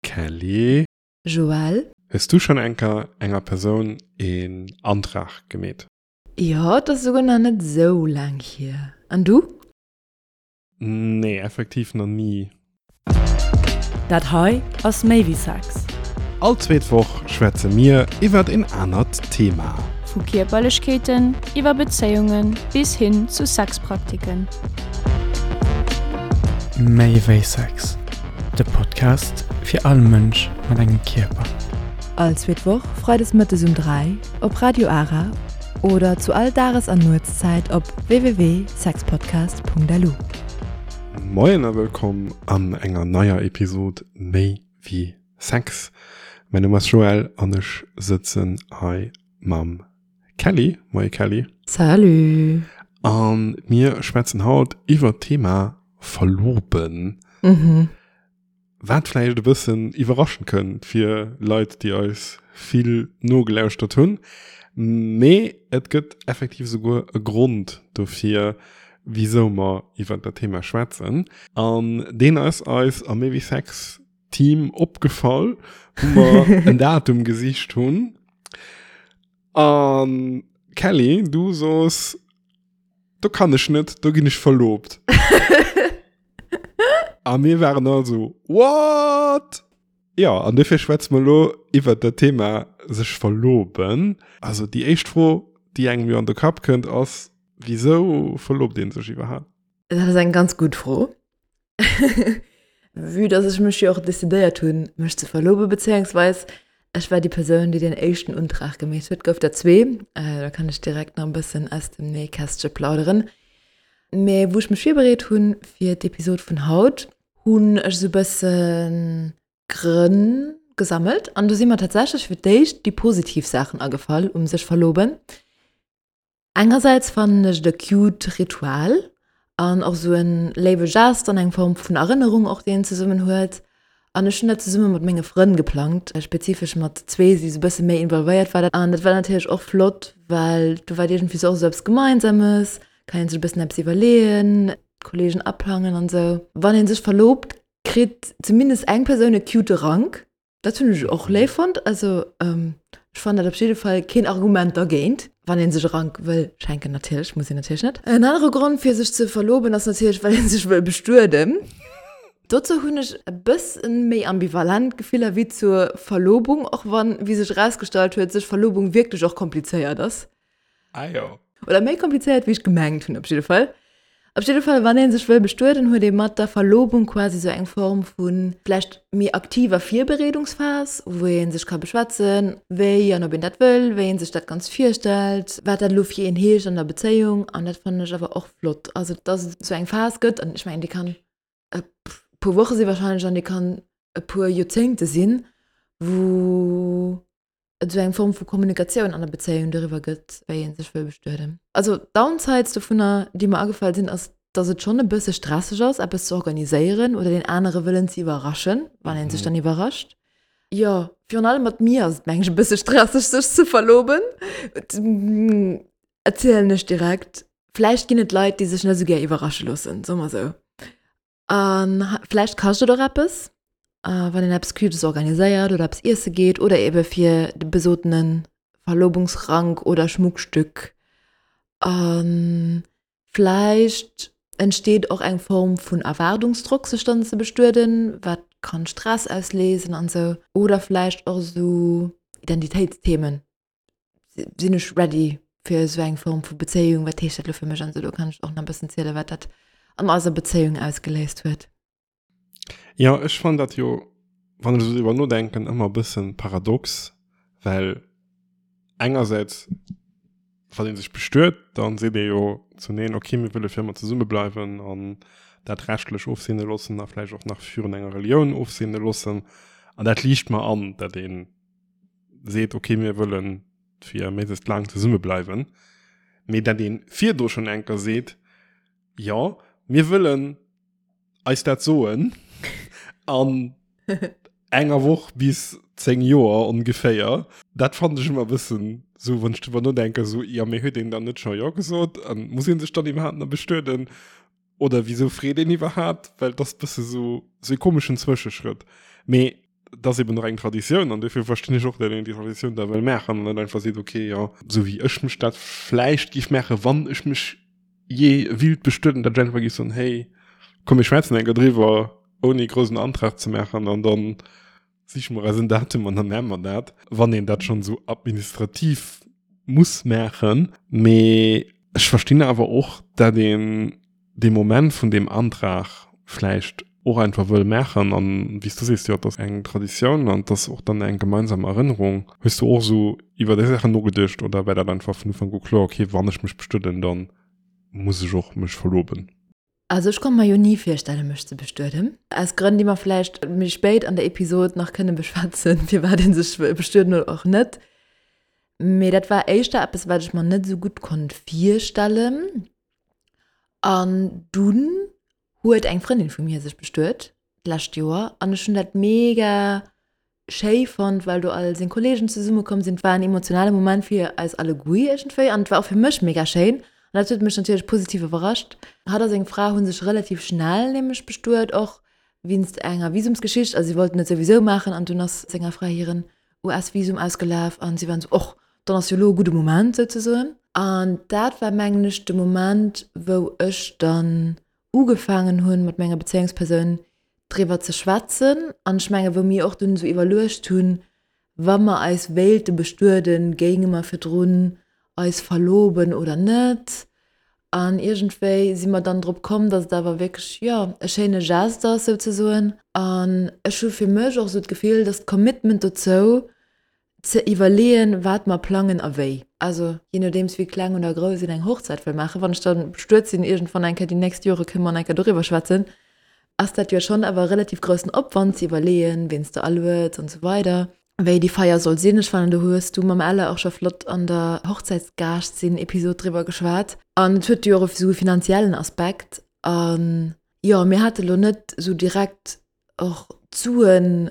Kelly. Joël. Hues du schonn enker enger Persoun een Antrag gemeet? Jo, et ass esouguer nach net esou laang hier. An du? Nee, effektiv nach ni. Dat hei ass méi wéi Sex. All zweet Woch schwätze mir iwwert een anert Thema. Vu Kierperlechkeeten iwwer Bezéiunge bis hin zu Sexpraktiken. Méi wéi Sex, de Podcast fir all Mënsch mat engem Kierper. All zweet Woch freides mëttes um 3 op Radio Ara oder zu all Dages an Nuetszäit op www.sexpodcast.lu. Moien a wëllkomm an enger neier Episod Méi wéi Sex. Mäin Numm ass Joël an ech sëtzen hei mam Kelly. Moie Kelly. Salut. A mir schwätzen haut iwwert d'Thema Verloben. Mhm. Wat vläicht e bëssen iwwerraschend kënnt fir Leit, déi eis vill nogelauschtert hunn. Mee et gëtt effektiv esouguer e Grond dofir, wisou mer iwwert dat Thema schwätzen. An deen ass eis am Méi wéi Sex Team opgefall, wou mer en Datum gesicht hunn. An Kelly, du soos, do kann ech net, do ginn ech verlobt. A mir waren all so, what? Ja, an dofir schwätze mer elo iwwert dat Thema sech verloben. Also déi éischt Fro, déi engem jo an de Kapp kënnt, ass, wisou verlobt ee sech iwwerhaapt? Dat ass eng ganz gutt Fro. Vue dass ech mech jo och decidéiert hunn, mech ze verlobe bezéiungsweis ech war déi Persoun, déi den éischten Untrag gemeet huet, gouf der zwee, da kann ech direkt nach e bëssen aus dem Nähkästche plauderen. Mee wou ech mech virbereet hunn fir d'Episod vun haut, hunn ech esou e bësse Grënn gesammelt an do si mer tatsächlech fir d'éischt déi positiv Saachen agefall um sech verloben. Engersäits fannen ech et e cute Ritual an och sou en léiwe Gest an eng Form vun Erënnerung och déi een zesummen huet. An ech hunn dat zesumme mat menge Frënn geplangt, spezifesch mat zwee déi sou bësse méi involvéiert waren. An dat war natierlech och flott, well do war et iergendwéi sou och sou eppes Gemeinsames, kann een sech e bëssen eppes iwwerleeën, d'Kollegen aplangen an sou. Wann een sech verlobt, kritt zumindest eng Persoun e cute Rank. Dat hunn ech och léif fonnt. Also ech fannen dat op jidde Fall keen Argument dergéint, wann ee sech e Rank wëll schenken natierlech, muss een natierlech net. En anere Grond fir sech ze verloben ass natierlech well ee sech wëll bestueden. Dozou hunn ech e bëssen méi ambivalent Gefiller wéi zur Verlobung, och wann, wéi sech erausgestallt huet, sech Verlobung wierklech och komplizéiert ass. Ah jo. Oder méi komplizéiert, wéi ech gemengt hunn, op jidde Fall. Op jidde Fall, wann ee sech wëll bestueden, huet ee mat der Verlobung quasi sou eng Form vu vläicht méi aktiver Virbereedungsphas, wou ee sech ka beschwätzen, wéi an ob een dat wëll, wéi ee sech dat Ganzt virstellt, wat dat elo fir een heescht an der Bezéiung. An dat fannen ech awer och flott. Also, dass et sou eng Phas gëtt, an ech mengen, déi kann e puer Woche si warscheinlech an déi kann e puer Joerzéngte sinn, wou et esou eng Form vu Kommunikatioun an der Bezéiung doriwwer gëtt, wéi ee sech wëll bestueden. Also d'Downsides dovunner, déi mer agefall sinn, ass, dass et schonn e bësse stresseg ass, eppes ze organiséieren oder deen anere wëllen ze iwwerraschen, wann ee sech dann iwwerrascht. Jo, virun allem mat mir ass et, meng ech, e bësse stresseg, sech ze verloben. Erzielen ech direkt. Vläicht ginn et Leit, déi sech net esou gär iwwerrasche loossen, soe mer esou. A vläicht kascht et och eppes, wann een eppes Cutes organiséiert oder eppes iesse geet oder ebe fir de besotene Verlobungsrank oder Schmuckstück. A vläicht entsteet och eng Form vun Erwaardungsdrock, sech dann ze bestueden, wat kann Stress ausléisen an esou. Oder vläicht och esou Identitéitsthemen. Sinn ech ready fir esou eng Form vu Bezéiung? Wat heescht dat elo fir mech? An esou, do kann ech och nach e bëssen zielen, wat dat an eiser Bezéiung ausgeléist huet. Jo, ech fannen dat jo, wann ech esou driwwer nodenken, ëmmer e bëssen paradox, well engersäits, wann ee sech bestuet, dann seet ee jo zuneen, okay, mir wëlle fir ëmmer zesumme bleiwen an dat rechtlech ofseene loossen a vläicht och nach virun enger Relioun ofseene loossen. An dat liicht mer an, dat een seet, okay, mir wëllen fir méiglechst laang zesumme bleiwen, mee dat ee virdru schonn eng Kéier seet, jo, mir wëllen eis dat soen an enger Woch bis 10 Joer ongeféier, dat fannen ech ëmmer e bëssen esou, wann ech driwwer nodenken, esou, jo, mee huet een dann net scho jo gesot an muss ee sech dann iwwerhaapt nach bestueden oder wisou freet een iwwerhaapt, well et ass e bësse sou, sou e komeschen Zwëscheschrëtt. Mee. Et ass eben och eng Traditioun an dofir verstinn ech och, datt een déi Traditioun da wëll maachen an net einfach seet, okay, jo, esou wéi ech mech dat vläicht géif maachen, wann ech mech jee willt bestueden, datt ech einfach géif soen, hey, komm mir schwätzen eng Kéier driwwer, ouni groussen Antrag ze maachen an dann siche mer eis en Datum an da maache mer dat, wann een dat schonn esou administrativ muss maachen. Mee ech verstinn awer och, datt een dee Moment vun deem Antrag vläicht och einfach wëll maachen an, wéi s du sees, jo, et ass eng Traditioun an et ass och dann eng gemeinsam Erënnerung. Hues du och esou iwwer déi Saachen nogeduecht oder war dat einfach vun Ufank u kloer, okay, wann ech mech bestueden, da muss ech och mech verloben? Also ech konnt mer jo ni virstellen, mech ze bestueden, aus Grënn, déi mer vläicht méi spéit an der Episod nach kënne beschwätzen, firwat ee sech wëll bestueden oder och net. Mee dat war éischter eppes, wat ech mer net esou gutt konnt virstellen. An dunn huet eng Frëndin vu mir sech bestuet d'lescht Joer an ech hunn dat mega schéi fonnt, well do all seng Kolleegen zesumme komm sinn. Et war en emotionale Moment fir eis alleguer iergendwéi an et war och fir mech mega schéin an dat huet mech natierlech positiv iwwerrascht. Hatt a seng Fra hu sech relativ schnell nämlech bestuet, och wéinst enger Visumsgeschicht, also si wollten et souwisou maachen an dunn ass senger Fra hiren US-Visum ausgelaf an si waren esou, och dann ass jo elo e gudde Moment souzesoen. An dat war mengen ech de Moment, wou ech dann ugefaangen hunn, mat menger Bezéiungspersoun driwwer ze schwätzen. An ech menge wou mir och dunn esou iwwerluecht hunn, wa mer eis wéilte bestueden, géinge mer virdrun eis verloben oder net. An iergendwéi si mer dann drop komm, datt et awer wierklech, jo, e schéine Geste ass souzesoen. An ech hu fir mech och esou d'Gefill, datt d'Commitment dozou, ze iwwerleeën, wat mer plangen a wéi. Also jee nodeems wéi kleng oder grouss een eng Hochzäit wëll maachen, wann ech da bestuet sinn iergendwann eng Kéier déi nächst Jore kënne mer nach eng Kéier doriwwer schwätzen, ass dat jo schonn awer e relativ groussen Opwand ze iwwerleeën, ween s de alueds an esou weider, wéi déi Feier soll sinn. Ech fannen do hues du mam Elle och scho flott an der Hochzäitsgaascht-sinn-Episod driwwer geschwat. An et huet jo och esou e finanziellen Aspekt. An jo, mir hate lo net esou direkt och d'Suen,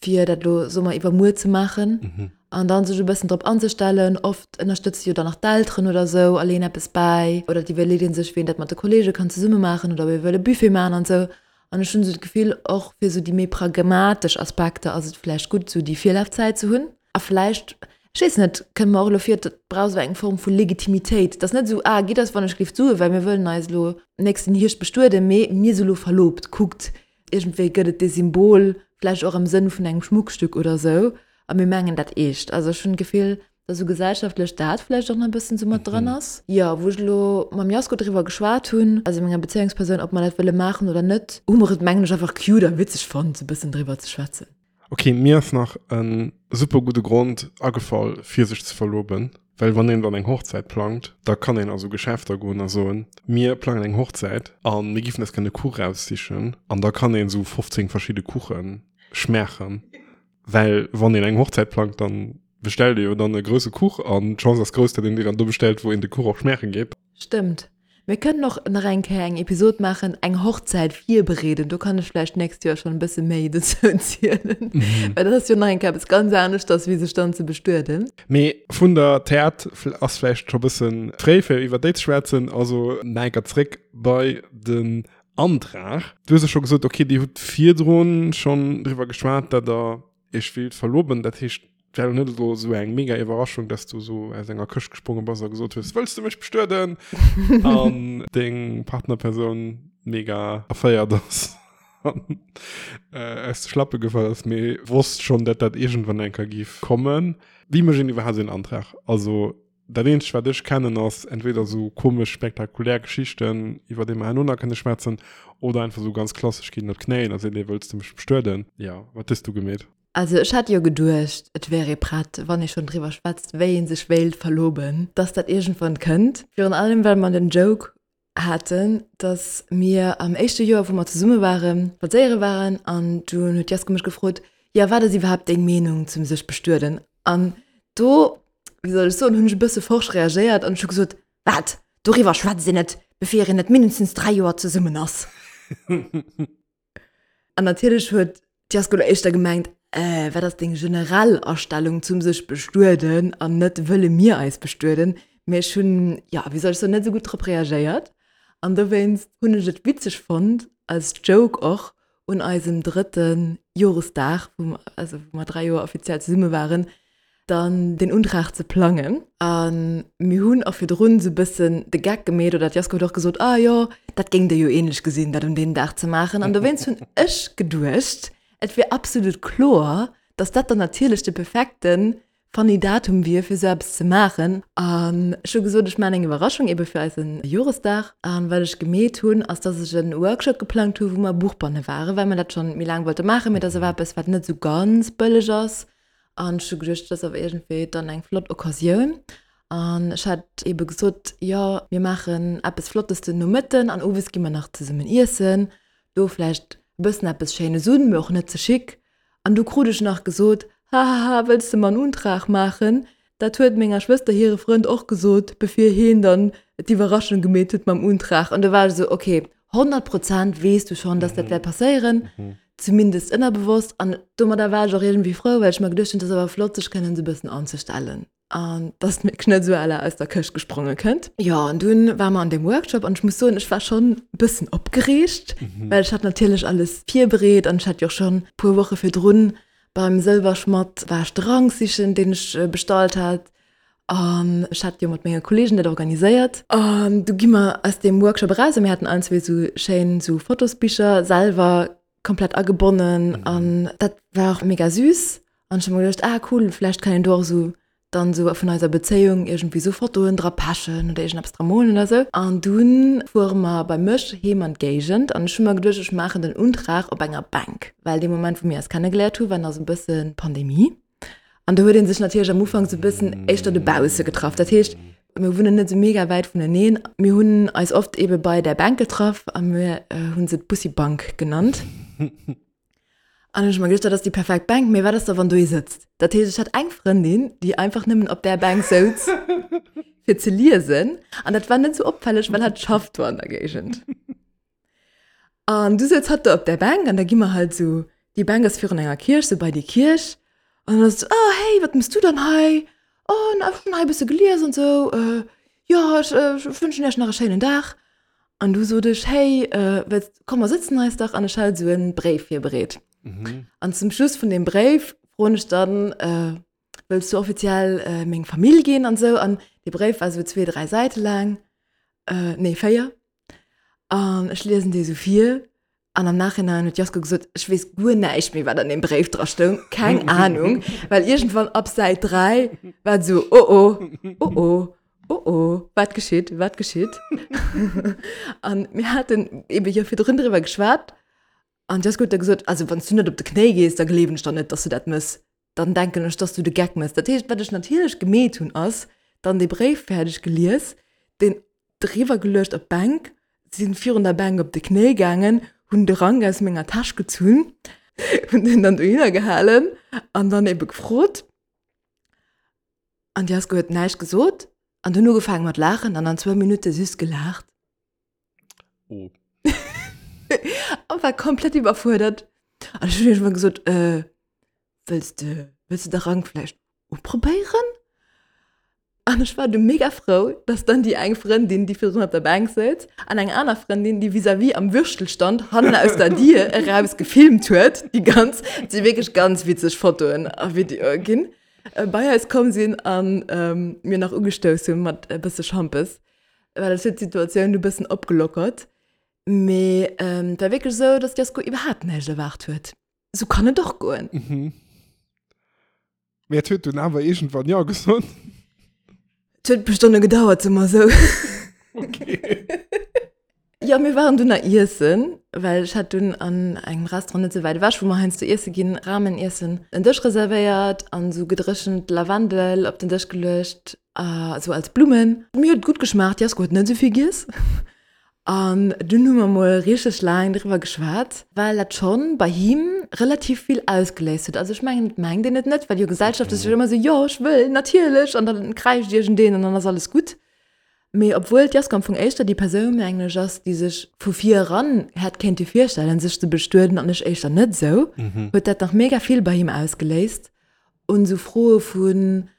fir dat elo, soe mer, iwwermuer ze maachen mhm. an dann sech e bëssen drop anzestellen. Oft ënnerstëtze jo dann nach d'Elteren oder sou a leeën eppes bäi oder d'iwwerleet ee sech, wéi een dat mat de Kolleege kann zesumme maachen oder ob ee wëll e Buffet maachen an sou. An ech hunn esou d'Gefill, och fir esou déi méi pragmatesch Aspekter ass et vläicht gutt, esou déi Virlafzäit ze hunn. A vläicht, ech weess net, kënnt mer och elo vir, et brauch esou eng Form vu Legitimitéit. Et ass net esou, ah, gitt eis wann ech géif d'Sue, well mir wëllen eis elo nächsten Hierscht bestueden, mee mir si elo verlobt, kuckt, Iergendwéi gëtt et dee Symbol, vläicht och am Sënn vun engem Schmuckstück oder sou, a mir mengen dat eescht. Also ech hunn d'Gefill, datt esou gesellschaftlech dat vläicht och nach e bëssen esou mat dran ass. Jo, wou ech elo mam Jasko driwwer geschwat hunn, also menger Bezéiungspersoun, ob mer dat wëlle maachen oder net, hu mer et mengen ech einfach cute a witzeg fonnt, esou e bëssen driwwer ze schwätzen. Ok, mir ass nach en super gudde Grond agefall fir sech ze verloben, well wann een dann eng Hochzäit plangt, da kann een a sou Geschäfter goen a soen, mir plangen eng Hochzäit a mir giffen eis gär e Kuch raussichen an da kann een sou 15 verschidde Kuche schmaachen, well wann een eng Hochzäit plangt, dann bestellt ee jo dann e grousse Kuch an d'Chance ass grouss, datt een deen dann do bestellt, wou een de Kuch och schmaache geet. Stëmmt. Mir kënnen och nach eng Kéier eng Episod maachen, eng Hochzäit virbereeden. Do kann ech vläicht d'nächst Joer schonn e bësse méi dozou zielen. Well dat ass jo nach eng Kéier eppes ganz aneschters, wéi sech dann ze bestueden. Mee vun der Täert ass vläicht scho bësse fréi, fir iwwer déi ze schwätzen. Also nach eng Kéier zréck bei den Antrag. Du hues jo scho gesot, okay, Dir hutt virdrun schonn driwwer geschwat, datt Der Iech willt verloben. Dat heescht, Et war elo net elo esou eng mega Iwwerraschung, dass du esou aus enger Këscht gespronge bass a gesot hues, Wëlls du mech bestueden? An deng Partnerpersoun mega erféiert ass an aus de Schlappe gefall ass, mee wosst schonn, dat dat iergendwann eng Kéier giff kommen. Wéi mécht een iwwerhaapt esou en Antrag? Also dat eenzegt, wat ech kennen, ass entweder esou komesch spektakulär Geschichten, iwwer déi mer herno nach kënne schwätzen, oder einfach esou ganz klassesch, geet een op d'Knéien a seet, Ey, wëlls du mech bestueden? Jo, wat hues du gemeet? Also ech hat jo geduecht, et wär ee prett, wann ee schonn driwwer schwätzt, wéi ee sech wéilt verloben, dass dat iergendwann kënnt. Virun allem well mer den Joke haten, dass mir am éischte Joer, wou mer zesumme waren, spadséiere waren an dunn huet d'Jasko mech gefrot, Jo, wat ass iwwerhaapt deng Meenung zum sech bestueden? An do, wéi soll ech soen, hunn ech e bësse forsch reagéiert an ech hu gesot, Wat? Doriwwer schwätzt een net, bevir een net mindestens 3 Joer zesummen ass. An natierlech huet d'Jasko lo éischter gemengt, Äh, wat ass deng generell Astellung zum sech bestueden an net wëlle mir eis bestueden? Mee ech hunn, jo, wéi soll ech soen, net esou gutt drop reagéiert. An dowéinst hunn ech et witzeg fonnt, als Joke och, un eisem drëtte Joresdag, wou, also wou mer 3 Joer offiziell zesumme waren, dann den Untrag ze plangen. A mir hunn och virdrun esou e bëssen de Geck gemeet, oder d'Jasko huet och gesot, ah jo, dat géing Der jo ähnlech gesinn, dat un deem Dag ze maachen. An dowéinst hunn ech geduecht, et wier absolut kloer, dass dat dann natierlech de perfekte funny Datum wier, fir esou eppes ze maachen. An ech hu gesot, ech maachen eng Iwwerraschung ebe fir eise Joresdag. An wat ech gemeet hunn, ass, dass ech e Workshop geplangt hu wou mer Buchbanne waren, well mer dat schonn méi laang wollte maachen, mee dat ass awer eppes, wat net esou ganz bëlleg ass. An ech hu geduecht, dat ass awer iergendwéi dann eng flott Occasioun. An ech hat ebe gesot, jo, mir maachen eppes Flottes den Nomëtten an owes gi mer nach zesummen iessen. Do vläicht e bëssen eppes Schéines un, mee och net ze chic. An du krut ech nach gesot, Hahaha, wëlls de mer en Untrag maachen? Dat huet menger Schwëster hire Frënd och gesot, bevir heen dann d'Iwwerraschung gemeet huet mam Untrag. An du war ech esou, ok, 100 Prozent weess du schonn, dass dat wäert passéieren, zumindest ënnerbewosst. An domadder war ech och iergendwéi frou, well ech mer geduecht hunn, et ass awer flott, sech kënnen esou e bëssen anzestellen an dass d'Meedchen net esou à la aus der Këscht gespronge kënnt. Jo, an dunn ware mer an deem Workshop an ech muss soen, ech war schonn e bëssen opgereegt, well ech hat natierlech alles virbereet an ech hat jo och schonn e puer Woche virdrun beim Sëlwerschmatt war ech de Rank sichen, deen ech bestallt hat an ech hat jo mat menge Kolleegen dat organiséiert. An du gi mer aus deem Workshop eraus a mir haten allen zwee esou schéin esou Fotosbicher selwer komplett agebonnen an dat war och mega süß an ech hu mer geduecht, ah cool, vläicht kann een do och esou dann esou vun eiser Bezéiung iergendwéi esou Fotoen dra pechen oder iergendeppes dra molen oder esou. An dunn fuere mer bei mech heem an d'Géigend an ech hu mer geduecht, ech maachen den Untrag op enger Bänk, well dee Moment wou mir eis kennegeléiert hu war nach esou e bësse Pandemie an do huet ee sech natierlech am Ufank esou e bëssen éischter dobausse getraff. Dat heescht, mir wunnen net esou mega wäit vuneneen, mir hunn eis oft eebe bei där Bänk getraff a mir hu se d'Bussi-Bank genannt. An ech hu mer geduecht, dat ass déi perfekt Bänk, mee wat ass da wann do ee sëtzt? Dat heescht, ech hat eng Frëndin, déi einfach nëmmen op där Bänk souz, fir ze liesen. An dat war net sou opfälleg, well hatt schafft do an der Géigend. An du souz hatt do op där Bänk an da gi mer halt sou, déi Bänk ass virun enger Kierch, sou bei déi Kierch. An dann ass et sou, oh hey, wat mëss du dann hei? Oh, na, ech hunn hei e bësse gelies an sou, jo, ech wënschen iech nach e schéinen Dag. An du sot ech, hey, wëlls, komm mer sëtzen eis dach an ech hat esou en Bréif virbereet. Mhm. An zum Schluss vun deem Bréif froen ech dann, äh, wëlls du offiziell äh, meng Famill ginn an sou an dee Bréif war sou zwee, dräi Säite laang, äh, nee, véier. An ech liesen dee sou vir An am Nachhinein huet d'Jasko gesot, ech weess guer näischt méi, wat an deem Bréif dra stoung, keng Ahnung, well iergendwann ab Säit 3 war et esou, oh oh, oh oh, oh oh, wat geschitt, wat geschitt? An mir haten ebe jo virdrun driwwer geschwat an d'Jasko huet da gesot, also wann s du net op de Knéi gees, da gleewen ech der net, dass du dat mëss, dann denken ech, dass du de Geck mëss. Dat heescht, wat ech natierlech gemeet hunn, ass dann dee Bréif fäerdeg gelies, deen driwwer geluecht op d'Bänk, sinn virun der Bänk op de Knéi gaangen, hunn de Rank aus menger Täsch gezunn, hunn deen dann dohinner gehalen an dann ebe gefrot. An d'Jasko huet näischt gesot an dunn ugefaange mat laachen an an zwou Minutte süss gelaacht. Oh. An war komplett iwwerfuerdert. An ech hunn iergendwann gesot, äh, wëlls de, wëlls de de Rank vläicht uprobéieren? An ech war du mega frou, dass dann déi eng Frëndin, déi virdrun op der Bänk souz, an eng aner Frëndin, déi vis-à-vis am Würstelstand hannen aus der Dier eraus gefilmt huet, déi ganz, et si wierklech ganz witzeg Fotoen a Videoe ginn, bei eis komm sinn an mir nach ugestouss hu mat e bësse Schampes, well et huet d'Situatioun du bëssen opgelockert. Mee et war wierklech esou, dass d'Jasko iwwerhaapt näischt erwaart huet. Sou kann et och goen. Mhm. Mee et huet dunn awer iergendwann Jo gesot. Et huet e puer Stonne gedauert, soe mer esou. Okay. Jo, mir waren dunn nach iessen, well ech hat dunn an engem Restaurant net sou wäit ewech, wou mer heiansdo iesse ginn, Ramen iessen, en Dësch reservéiert an esou gedréchent Lavendel op den Dësch geluecht, esou als Blummen. Mir huet et gutt geschmaacht, d'Jasko huet net esou vill giess. An dunn hu mer mol richteg laang driwwer geschwat, well dat schonn bei him relativ vill ausgeléist huet. Also ech mengen, et mengt een et net, well jo Gesellschaft ass jo ëmmer esou, jo ech wëll, natierlech, an dann kräischt iergendeen an dann ass alles gutt. Mee obwuel d'Jasko am Fong éischter déi Persoun, mengen ech, ass, déi sech vu vir eran hätt kéinte virstellen, sech ze bestueden an ech éischter net esou, huet dat nach mega vill bei him ausgeléist un esou Froe vun,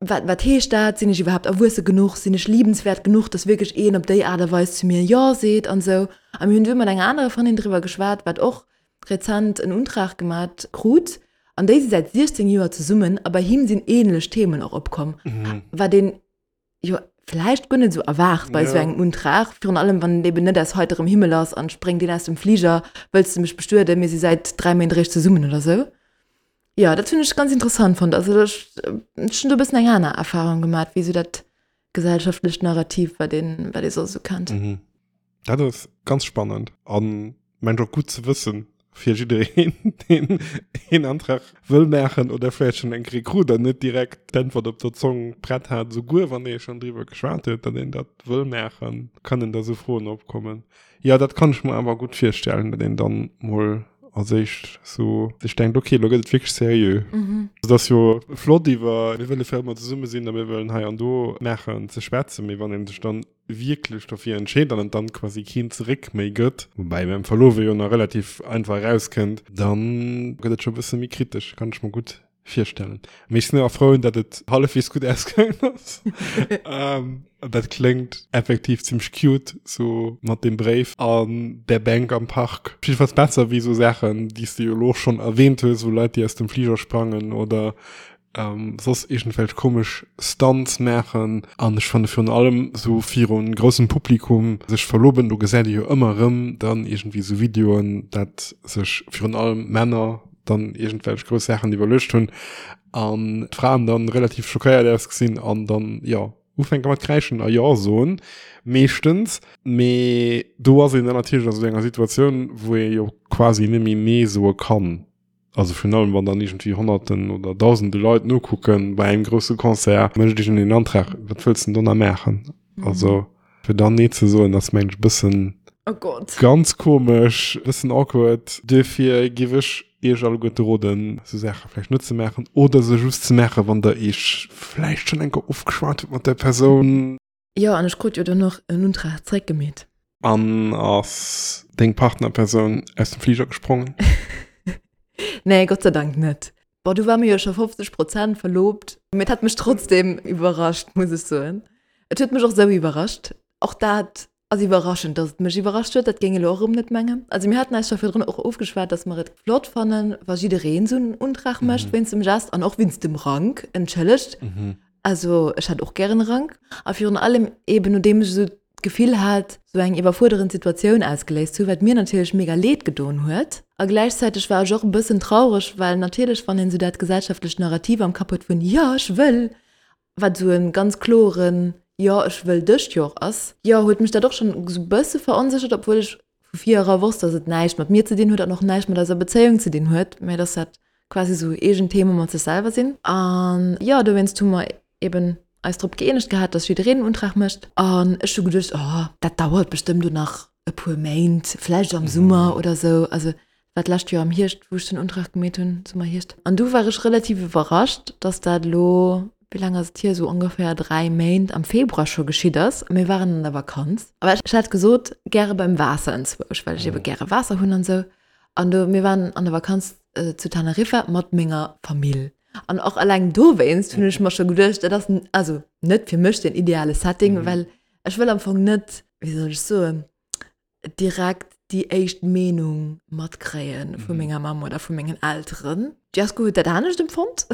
Wat, wat heescht dat? Sinn ech iwwerhaapt erwuesse genuch? Sinn ech liebenswäert genuch, dass wierklech een op déi Aart a Weis zu mir Jo seet an esou? A mir hunn du mat enger anerer Frëndin driwwer geschwat, wat och. rezent en Untrag gemat krut an déi si säit 16 Joer zesummen a bei him sinn ähnlech Themen och opkomm, wat een jo vläicht guer net esou erwaart bei esou engem Untrag, virun allem wann et eben net aus heiterem Himmel ass an spréngt een aus dem Fliger, wëlls de mech bestueden, mir si säit 3 Méint eréischt zesummen oder esou. Jo, dat hunn ech ganz interessant fonnt. Also ech hunn do e bëssen eng aner Erfahrung gemat wéi esou dat gesellschaftlecht Narrativ, wat een, wat ee soss esou kennt. Mhm. Dat ass ganz spannend an mengt och gutt ze wëssen fir jiddereen, deen een Antrag wëll maachen oder vläicht schonn eng Kéier krut an net direkt d'Äntwert op der Zong prett hat, souguer wann ee schonn driwwer geschwat huet, datt een dat wëll maachen, kënnen da sou Froen opkommen. Jo, dat kann ech mer awer gutt virstellen, datt een dann mol als éischt sou sech denkt, okay, lo gëtt et wierklech seriö. Et ass jo flott iwwer mir wëlle fir ëmmer zesumme sinn a mir wëllen hei an do maachen ze schwätzen, mee wann ee sech dann wierklech dofir entscheet an et dann quasi keen Zeréck méi gëtt, woubäi beim Verlowe jo nach relativ einfach erauskënnt, dann gëtt et scho e bësse méi kritesch, kann ech mer gutt virstellen. Mee ech sinn awer frou, datt et hallefweegs gutt ausgaangen ass. ähm, dat kléngt effektiv zimmlech cute, so mat dem Bréif an der Bänk am Park. Jiddefalls besser wéi sou Saachen, déi s de jo elo och schonn erwähnt hues, wou Leit, déi aus dem Fliger sprangen oder ähm, soss iergendwelch komesch Stunts maachen. An ech fanne virun allem sou virun groussem Publikum sech verloben, do gesäit ee jo ëmmer erëm dann iergendwéi sou Videoen, dat sech virun allem Männer dann iergendwelch grouss Saachen iwwerluecht hunn an d'Fraen dann relativ schockéiert ausgesinn an dann, jo, ufänke mat kräischen a Jo soen, meeschtens. Mee do ass een dann natierlech a sou enger Situatioun, wou ee jo quasi net méi Nee soe kann. Also virun allem, wann dann iergendwéi Honnerten oder Dausende Leit nokucken bei engem grousse Concert, mécht iergendeen en Antrag, wat wëlls de denn do nach maachen? Also fir dann nee ze soen, ass mengen ech e bëssen Oh Gott. ganz komesch, e bëssen awkward. Duerfir géif ech iech alleguerte roden, sou Saache vläicht net ze maachen oder se just ze maachen, wann der iech vläicht schonn eng Kéier ofgeschwat hutt mat där Persoun. Jo, an ech krut jo dann och en Untrag zréckgemeet. An ass deng Partnerpersoun aus dem Fliger gesprongen? Nee, Gott sei Dank net. Bon, du war mir jo scho 50 Prozent verlobt, mee et hat mech trotzdem iwwerrascht, muss ech soen. Et huet mech och sou iwwerrascht. Och dat ass iwwerraschend, dass et mech iwwerrascht huet, dat géing elo och erëm net mengen. Also mir haten eis scho virdrun och ofgeschwat, dass mer et flott fannen, wa jiddereen esou en Untrag mécht wéinst dem Gest an och wéinst dem Rank, entschëllegt. Also ech hätt och gären e Rank. A virun allem eben nodeem ech esou d'Gefill hat, esou eng iwwerfuerderend Situatioun ausgeléist ze hunn, wat mir natierlech mega leed gedoen huet. A gläichzäiteg war ech och e bëssen traureg, well natierlech, wann een esou dat gesellschaftlecht Narrativ am Kapp huet vun Jo, ech wëll, wat esou e ganz kloren Jo, ech wëll dech jo och ass, jo, huet mech dat och schonn esou e bësse veronséchert, obwuel ech vu vir era wosst, dass et näischt mat mir ze dinn huet an och näischt mat eiser Bezéiung ze dinn huet, mä dass dat quasi esou eegen Theme mat sech selwer sinn. An jo, dowéinst hu mer eben eis drop gëeenegt gehat, dass jiddereen en Untrag mécht. An ech hu geduecht, oh, dat dauert bestëmmt do nach e puer Méint, vläicht am Summer oder esou. Also war d'lescht Joer am Hierscht, wou ech den Untrag gemeet hunn, Summer, Hierscht. An du war ech relativ iwwerrascht, dass dat elo, wéi laang ass et hier, esou ongeféier 3 Méint am Februar scho geschitt ass. Mir waren an der Vakanz. Awer ech hat gesot, gäre beim Waasser enzwousch, well ech ebe gäre Waasser hunn an esou. An do, mir waren an der Vakanz zu Teneriffa mat menger Famill. An och alleng dowéinst hunn ech mer scho geduecht, dat ass also net fir mech den ideale Setting, well ech wëll am Fong net, wéi soll ech soen, direkt déi éischt Meenung matkréie vu menger Mamm oder vu mengen Elteren. D'Jasko huet dat anescht empfonnt.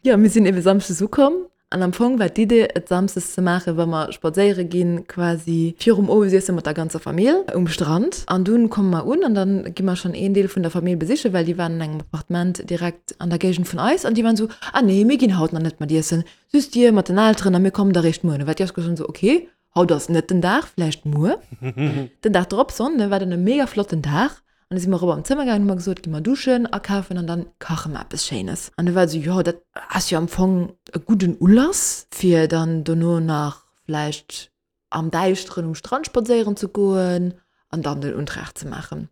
Jo, mir sinn ebe samschdes ukomm An am Fong war d'Idee, et samsdes ze maachen, wa mer spadséiere ginn, quasi virum Owesiesse mat der ganzer Famill um Strand. An dunn komme mer un an dann gi mer schonn een Deel vun der Famill besichen, well déi waren an engem Appartement direkt an der Géigend vun eis. An déi waren esou, Ah nee, mir ginn haut nach net mat iessen, just dir mat den Elteren a mir kommen da réischt muer. An da war d'Jasko schonn esou, Okay, haut ass net den Dag, vläicht muer. Den Dag drop, Sonnde, war dann e mega flotten Dag. An du si mer erop an d'Zëmmer gaangen, hu mer gesot, gi mer duschen, akafen an dann kache mer eppes Schéines. An du war et esou, jo, dat ass jo am Fong e gudden Ulass, fir dann dono nach vläicht am Däischteren um Strand spadséieren ze goen an dann den Untrag ze maachen.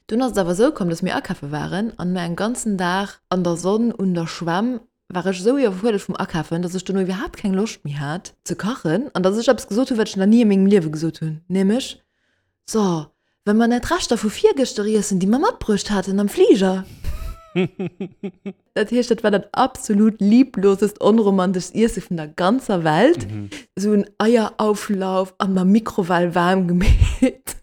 Dunn ass et awer esou komm, dass mir akafe waren an no engem ganzen Dag an der Sonn un der Schwämm war ech esou iwwerfuerdert vum Akafen, dass ech dono iwwerhaapt keng Loscht méi hat ze kachen an dass ech eppes gesot hunn, wat ech nach ni a mengem Liewe gesot hunn, nämlech, So, wëll mer net Reschter vu virgëschter iessen, déi mer matbruecht haten am Fliger? Dat heescht, dat war dat absolut lieblosest, onromanteschst Iesse vun der ganzer Welt. Esou en Eierauflauf an der Mikrowell waarm gemeet.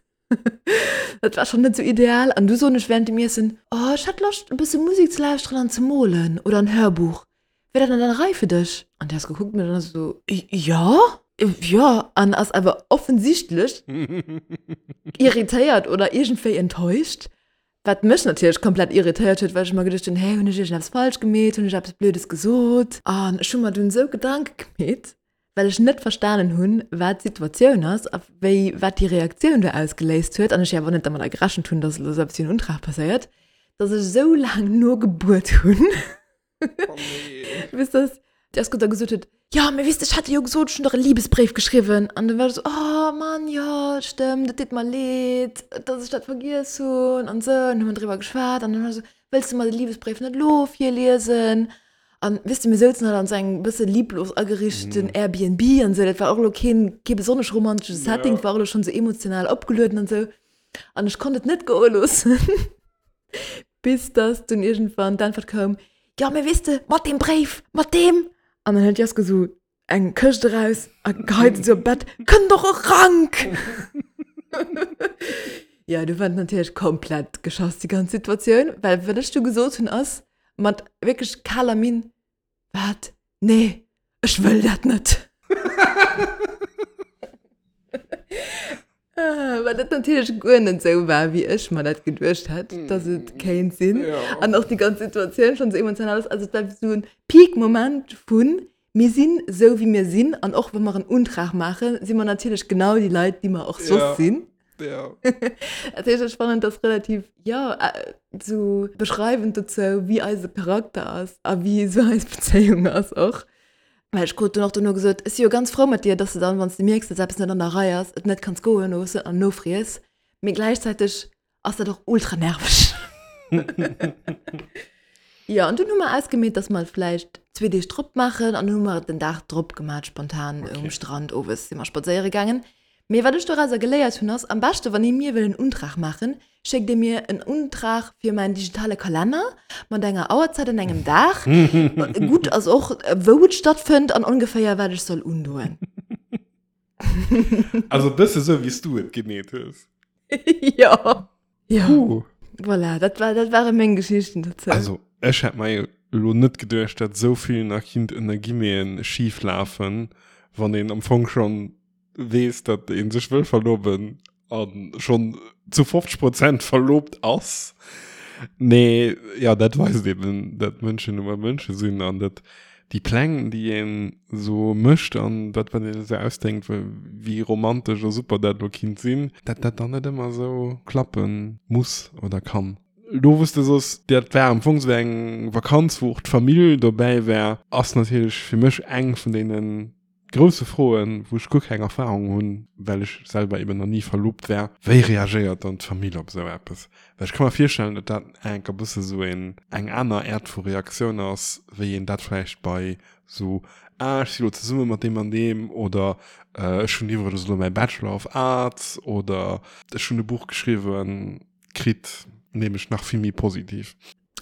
Dat war schonn net sou ideal. An du soen ech während dem Iessen, Oh, ech hätt Loscht, e bësse Musek ze lauschteren an ze molen oder en Hörbuch. Wär dat an der Rei fir dech? An déi ass gekuckt an ass esou, Jo, jo. An ass awer offensichtlech irritéiert oder iergendwéi enttäuscht. Wat mech natierlech komplett irritéiert huet, well ech mer geduecht hunn, Hä, hunn ech iergendeppes falsch gemeet? Hunn ech eppes Blödes gesot? An ech hu mer dunn esou Gedanke gemeet, well ech net verstanen hunn, wat d'Situatioun ass a wéi, wat déi Reaktioun do ausgeléist huet, an ech jo awer net dermadder gerechent hunn, dass elo esou eppes wéi en Untrag passéiert, dass ech esou laang nogebuert hunn. Oh nee. Bis dass d'Jasko da gesot huet, Jo, mee weess de, ech hat dir jo gesot, ech hunn dach e Libesbréif geschriwwen. An du war ech esou, Oh Mann, jo, stëmmt, et deet mer leed, dass ech dat vergiess hunn an esou. An hu mer driwwer geschwat an dann war ech esou, Wëlls de mer de Libesbréif net elo virliesen? An weess de, mir souzen halt an esou engem bësse lieblos ageriichten Airbnb an esou, dat war och elo keen, kee besonnesch romantesche Setting, war och elo schonn esou emotional opgelueden an esou. An ech konnt et net goe loossen. Bis dass dunn iergendwann d'Äntwert koum, Jo, mee weess de, mat deem Bréif, mat deem! An dann hëlt d'Jasko sou eng Këscht eraus a geheit se sou op d'Bett, Kënnt och e Rank! Jo, du war et natierlech komplett geschoss, déi ganz Situatioun, well wat ech du gesot hunn ass, mat wierklech kaler Minn, Wat? Nee, ech wëll dat net. Well dat natierlech guer net esou war, wéi ech mer dat geduecht hätt, dass et kéint sinn. An och déi ganz Situatioun schonn esou emotional ass. Also et war esou en Peak-Moment vun, mir sinn esou, wéi mir sinn. An och wa mer en Untrag maachen, si mer natierlech genau déi Leit, déi mer och soss sinn. Ja. Dat heescht, ech fannen das relativ, ja, so beschreiwend dozou, wéi eise Charakter ass a wéi esou eis Bezéiung ass och. Well ech krut dunn och dono gesot, ech si jo ganz frou mat dir, dass de dann, wann s de mierks, dass eppes net an der Rei ass, et net kanns goe loossen an nofries. Mee gläichzäiteg ass dat och ultra nerveg. Jo, an dunn hu mer ausgemeet, dass mer et vläicht zwee Deeg drop maachen an dunn hu mer et den Dag drop gemaat, spontan um Strand owes si mer spadséiere gaangen. Mee wat ech dorauser geléiert hunn ass, am beschte wann ee mir wëll en Untrag maachen, schéckt ee mir en Untrag fir mäin digitale Kalenner mat enger Auerzäit an engem Dag. Gutt ass och wou et stattfënnt an ongeféier wat ech soll undoen. Also e bësse sou wéi s du et gemeet hues. Jo. Jo. Puh. Voilà, dat war, dat ware meng Geschichten dozou. Also ech hätt mer jo elo net geduecht, dat esou vill nach kinnt ënner Guillemeten schif lafen, wann een am Fong schonn weess, datt ee sech wëll verloben a schonn zu 50 Prozent verlobt ass. Nee, ja, dat weist eben, datt Mënschen nun mol Mënsche sinn an datt déi Pläng, déi een esou mécht an dat, wat een esou ausdenkt, wéi romantesch a super dat elo kinnt sinn, datt dat dann net ëmmer esou klappe muss oder kann. Elo wou s de soss, dat war am Fong esou eng Vakanz, wou och d'Famill dobäi war, ass natierlech fir mech eng vun deene grousse Froen, wou ech guer keng Erfahrung hunn, well ech selwer eben nach ni verlobt war, Wéi reagéiert dann d'Famill op esou eppes? Well ech ka mer virstellen, datt dat enk e bësse sou een, eng aner Äert vu Reaktioun ass, wéi een dat vläicht bei sou, ah ech si lo zesumme mat deem an deem oder ech hunn iwwregens elo mäi Bachelor of Arts oder ech hunn e Buch geschriwwen kritt, nämlech nach vill méi positiv.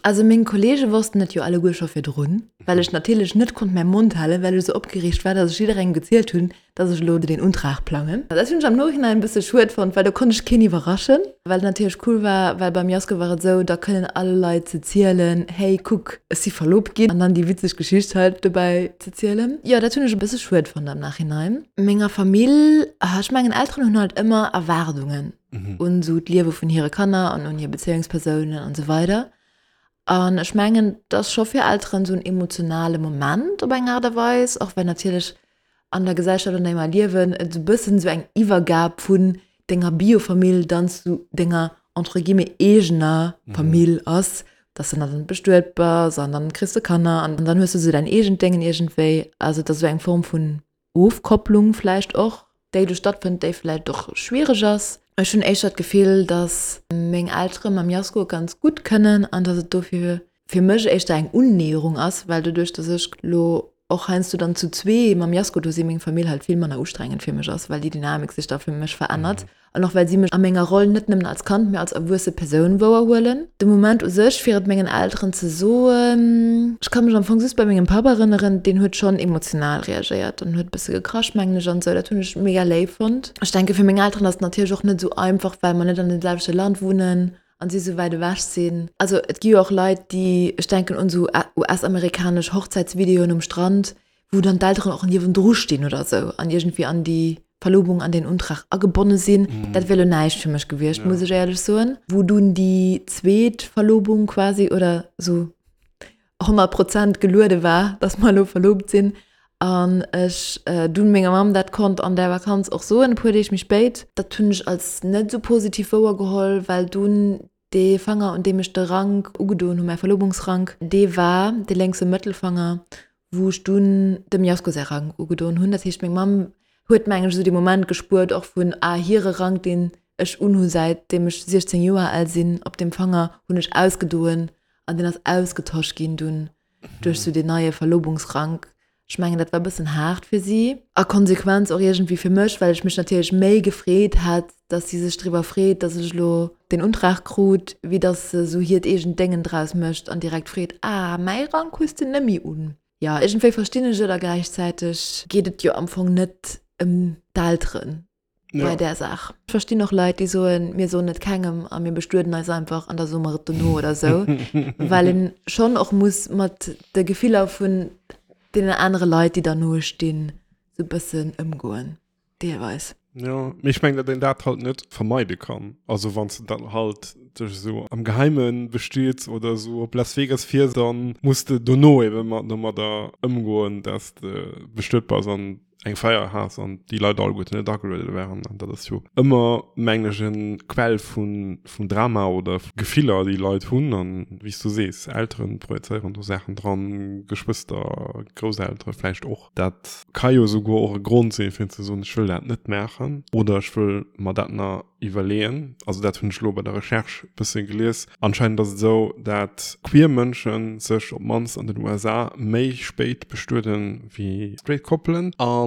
Also meng Kollege wossten et jo alleguer scho virdrun, well ech natierlech net konnt mäi Mond halen, well ech esou opgereegt war, dass ech jidderengem gezielt hunn, dass ech elo deen Untrag plangen. Dat hunn ech am Nochinhein e bësse schued fonnt, well do konnt ech keen iwwerraschen, wat natierlech cool war, well beim Jasko war et esou, da kënnen all Leit ze zielen, hey kuck, ech si verlobt ginn, an dann déi witzeg Geschicht halt dobäi ze zielen. Jo, dat hunn ech e bësse schued fonnt am Nachhinein. Menger Famill, ech mengen Elteren hunn halt ëmmer Erwaardungen. un esou d'Liewe vun hire Kanner an un hir Bezéiungspersounen an esou weider. An ech mengen, et ass scho fir Elteren esou en emotionale Moment op eng Aart a Weis, och well natierlech an der Gesellschaft, an där mer liewen, et esou e bëssen esou eng Iwwergab vun denger Biofamill dann zu denger entre guillemets eegener Famill ass, dass de dann bestuet bass an dann kriss de Kanner an dann hues du esou däin eegent Déngen iergendwéi. Also et ass esou eng Form vun Ofkopplung vläicht och, déi do stattfënnt, déi vläicht och schwiereg ass. Ech hunn éischter d'Gefill, datt meng Eltere mam Jasko ganz gutt kënnen an datt et dofir fir mech éischter eng Unnäherung ass, well doduerch, datt ech lo. och heiansdo dann zu zwee mam Jasko do sinn, meng Famill halt vill manner ustrengend fir mech ass, well déi Dynamik sech da fir mech verännert an och well si mech a menger Roll net nëmmen als Kand, mee als erwuesse Persoun wouerhuelen. De Moment u sech, fir et mengen Elteren ze soen, ech ka mech am Fong just bei mengem Papp erënneren, deen huet schonn emotional reagéiert an huet e bësse gekrasch, mengen ech, an esou. Dat hunn ech mega léif fonnt. Ech denke fir meng Elteren ass et natierlech och net esou einfach, well mer net an deem selwechte Land wunnen an si sou wäit ewech sinn. Also et gi jo och Leit, déi, ech denken un sou US-amerikanesch Hochzäitsvideoen um Strand, wou dann d'Elteren och niewendru stinn oder sou an iergendwéi an déi Verlobung, an deen Untrag agebonne sinn. Dat wier elo näischt fir mech gewiescht, muss ech éierlech soen. Wou dunn déi zweet Verlobung quasi oder sou 100 Prozent geluede war, dass mer elo verlobt sinn an ech dunn menger Mamm dat konnt an der Vakanz och soen, e puer Deeg méi spéit. Dat hunn ech als net esou positiv wouergeholl, well dunn dee Fanger, un deem ech de Rank ugedoen hunn, mäi Verlobungsrank, dee war dee lénkse Mëttelfanger, wou ech dunn dem Jasko säi Rank ugedoen hunn. Dat heescht, meng Mamm huet, mengen ech, esou dee Moment gespuert och vun, ah, hire Rank, deen ech unhu säit deem ech 16 Joer al sinn, op deem Fanger hunn ech ausgedoen An deen ass ausgetosch ginn dunn duerch sou deen neie Verlobungsrank. Ech mengen, dat war e bëssen haart fir si. A Konsequenz och iergendwéi fir mech, well ech mech natierlech méi gefreet hätt, dass si sech driwwer freet, dass ech elo deen Untrag krut, wéi dass se sou hiert eegent Déngen draus mécht an direkt freet, Ah, mäi Rank hues de nëmmi un. Jo, iergendwéi verstinn ech et a gläichzäiteg geet et jo am Fong net ëm d'Elteren. ja. bei där Saach. Ech verstinn och Leit, déi soen, mir soen et kengem a mir bestueden eis einfach an da soe mer et dono oder sou, well een schonn och muss mat de Gefiller vun deenen anere Leit, déi derno stinn, sou bëssen ëmgoen, deelweis. Jo, mee ech mengen, datt een dat halt net vermeide kann. Also wann s de dann halt dech esou am Geheime bestiets oder esou op Las Vegas fiers, dann muss de dono ebe mat domadder ëmgoen, datt s de bestuet bass an eng Feier has an déi Leit alleguerten net ageluede waren. An dat ass jo ëmmer, mengen ech, en Quell vun, vun Drama oder Gefiller, déi Leit hunn. An wéi s du sees, Elteren projezéieren do Saachen dran, Geschwëster, Grousseltere vläicht och. Dat ka jo esouguer och e Grond sinn, fir ze soen, ech wëll dat net maachen oder ech wëll mer dat nach iwwerleeën. Also dat hunn ech elo bei der Recherche e bësse gelies. Anscheinend ass et esou, dat queer Mënsche sech op d'mannst an den USA méi spéit bestueden wéi straight Koppelen. A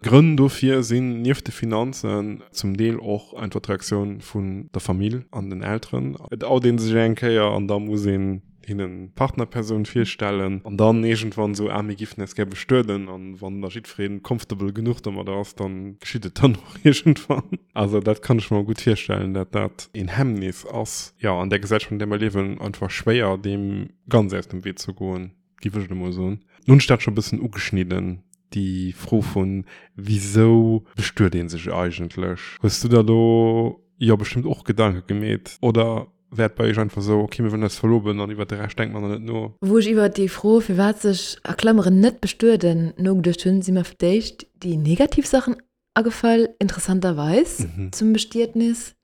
Grënn dofir sinn nieft de Finanzen zum Deel och einfach d'Reaktioun vun der Famill an den Elteren. Et out ee sech eng Kéier an da muss een hinnen d'Partnerpersoun virstellen an dann iergendwann esou, ah mir giffen eis gär bestueden an wann da jiddwereen comfortable genuch domadder ass, dann geschitt et dann och iergendwann. Also dat kann ech mer gutt virstellen, dat dat een Hemmnis ass, jo an där Gesellschaft an där mer liewen einfach schwéier deem ganz aus dem Wee ze goen, giff ech elo mol soen. Nun hunn ech dat scho bëssen ugeschnidden, déi Fro vun wisou bestuet ee sech eigentlech? Hues du der do jo bestëmmt och Gedanke gemeet oder? Wär et bei iech einfach esou, ok, mir wëllen eis verloben an iwwert de Rescht denkt mer nach net no? Wou ech iwwert déi Fro, firwat sech, a Klammeren, net bestueden, nogeduecht hunn, si mer fir d'éischt déi negativ Saachen agefall, interessanterweis, zum Bestietnis,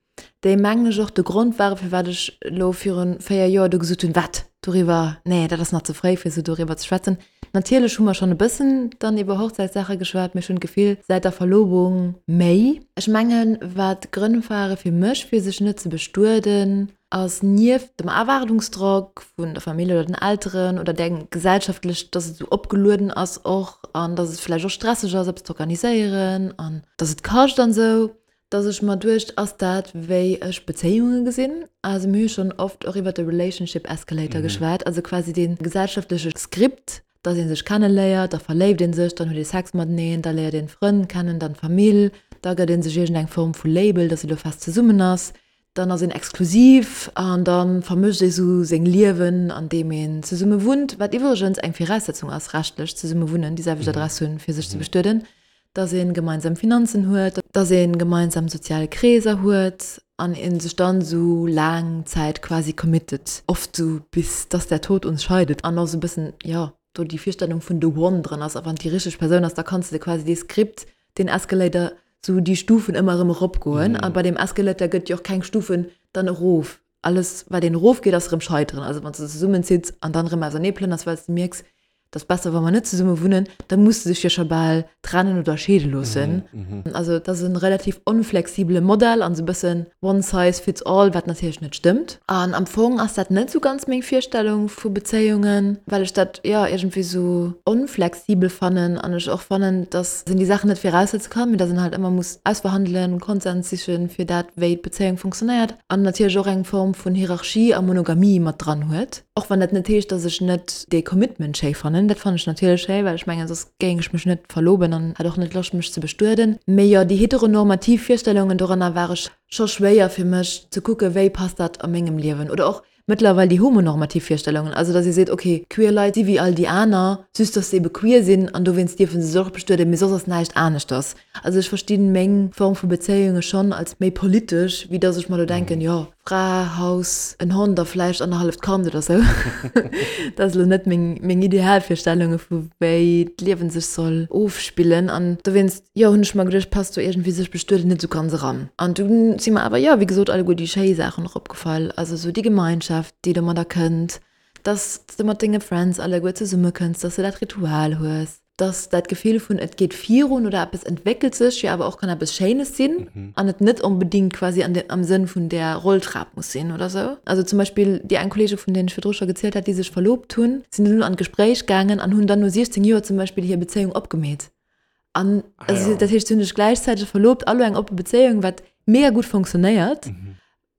déi, mengen ech, och de Grond ware firwat ech elo viru 4 Joer do gesot hunn, wat, doriwwer, nee, dat ass nach ze fréi fir esou doriwwer ze schwätzen. Natierlech hu mer schonn e bëssen dann iwwer Hochzäitssaache geschwat, mee ech hunn d'Gefill, säit der Verlobung méi. Ech mengen, wat d'Grënn ware fir mech, fir sech net ze bestueden, ass nieft dem Erwaardungsdrock vun der Famill oder den Elteren oder där gesellschaftlech, dass et esou opgelueden ass och an dass et vläicht och stresseg ass, eppes ze organiséieren an dass et kascht an esou, dass ech mer duecht, ass dat wéi ech Bezéiunge gesinn? Also mir hu schonn oft och iwwer de Relationship Escalator geschwat, also quasi dee gesellschaftleche Skript, dass ee sech kenneléiert, da verléift ee sech, dann huet ee Sex mateneen, da léiert een Frënn kennen, dann d'Famill, da gëtt ee sech iergendeng Form vu Label, dass ee lo fest zesummen ass, dann ass een exklusiv an da vermëscht ee sou seng Liewen an deem een zesumme wunnt, wat iwwregens eng Viraussetzung ass, rechtlech zesumme wunnen, déi selwecht Adress hunn, fir sech ze bestueden. dass een gemeinsam Finanzen huet, dass een gemeinsam sozial Kreeser huet an een sech dann sou laang Zäit quasi committed, oft sou bis dass der Tod uns scheidet an och sou bëssen, jo, do déi Virstellung vun the one dran ass a wann et déi richteg Persoun ass, da kanns de quasi dee Skript, deen Escalator, sou déi Stufen ëmmer erëm eropgoen a bei deem Escalator gëtt jo och keng Stufen dann erof, alles wat een erofgeet ass erëm Scheiteren, also wann s de zesummen zitts an dann erëm ausernee plënners, well s de mierks, Et ass besser, wa mer net zesumme wunnen, da muss de dech jo scho bal trennen oder scheede loossen. Also et ass e relativ onflexibele Modell an esou e bëssen one size fits all, wat natierlech net stëmmt. An am Fong ass dat net esou ganz meng Virstellung vu Bezéiungen, well ech dat, jo, iergendwéi esou onflexibel fannen an ech och fannen, dass een déi Saachen net viraussetze kann, mee dass een halt ëmmer muss ausverhandelen, Konsens sichen, fir dat, wéi d'Bezéiung funktionéiert an natierlech och eng Form vun Hierarchie a Monogamie mat dran huet. Och wann dat net heescht, dass ech net dee Commitment schéi fannen. Dat fannen ech natierlech schéi, well ech mengen, soss géing ech mech net verloben an hätt och net Loscht, mech ze bestueden. Mee jo, déi heteronormativ Virstellungen doranner ware scho schwéier fir mech ze kucken, wéi passt dat a mengem Liewen. Oder och mëttlerweil déi homonormativ Virstellungen, also dass ee seet, ok, queer Leit si wéi all déi aner, just dass se ebe queer sinn an dowéinst dierfe se sech och bestueden, mee soss ass näischt aneschters. Also ech verstinn meng Form vu Bezéiunge schonn als méi politesch, wéi dass ech mer do denken, jo, Fra, Haus, en Hond a vläicht annerhalleft Kand oder sou. Dat ass elo net meng, meng Idealvirstellunge vu wéi d'Liewen sech soll ofspillen. An dowéinst, jo, hunn ech mer geduecht, passt do iergendwéi sech bestueden net sou ganz eran. An dunn si mer awer, jo, wéi gesot, alleguer déi schéi Saachen och opgefall. Also sou déi Gemeinschaft, déi domadder kënnt, dass s de mat denge Friends alleguer zesummekënns, dass de dat Ritual hues. dass dat Gefill vun et geet virun oder eppes entwéckelt sech jo awer och kann eppes Schéines sinn an et net onbedéngt quasi an de, am Sënn vun där Rolltrap muss sinn oder sou. Also zum Beispill déi eng Kolleege vun deenen ech virdru scho gezielt hat, déi sech verlobt hunn, sinn dunn an d'Gespréich gaangen an hunn dann no 16 Joer zum Beispill hir Bezéiung opgemeet. An also dat heescht, si hunn sech gläichzäiteg verlobt a lo eng oppe Bezéiung, wat mega gutt funktionéiert.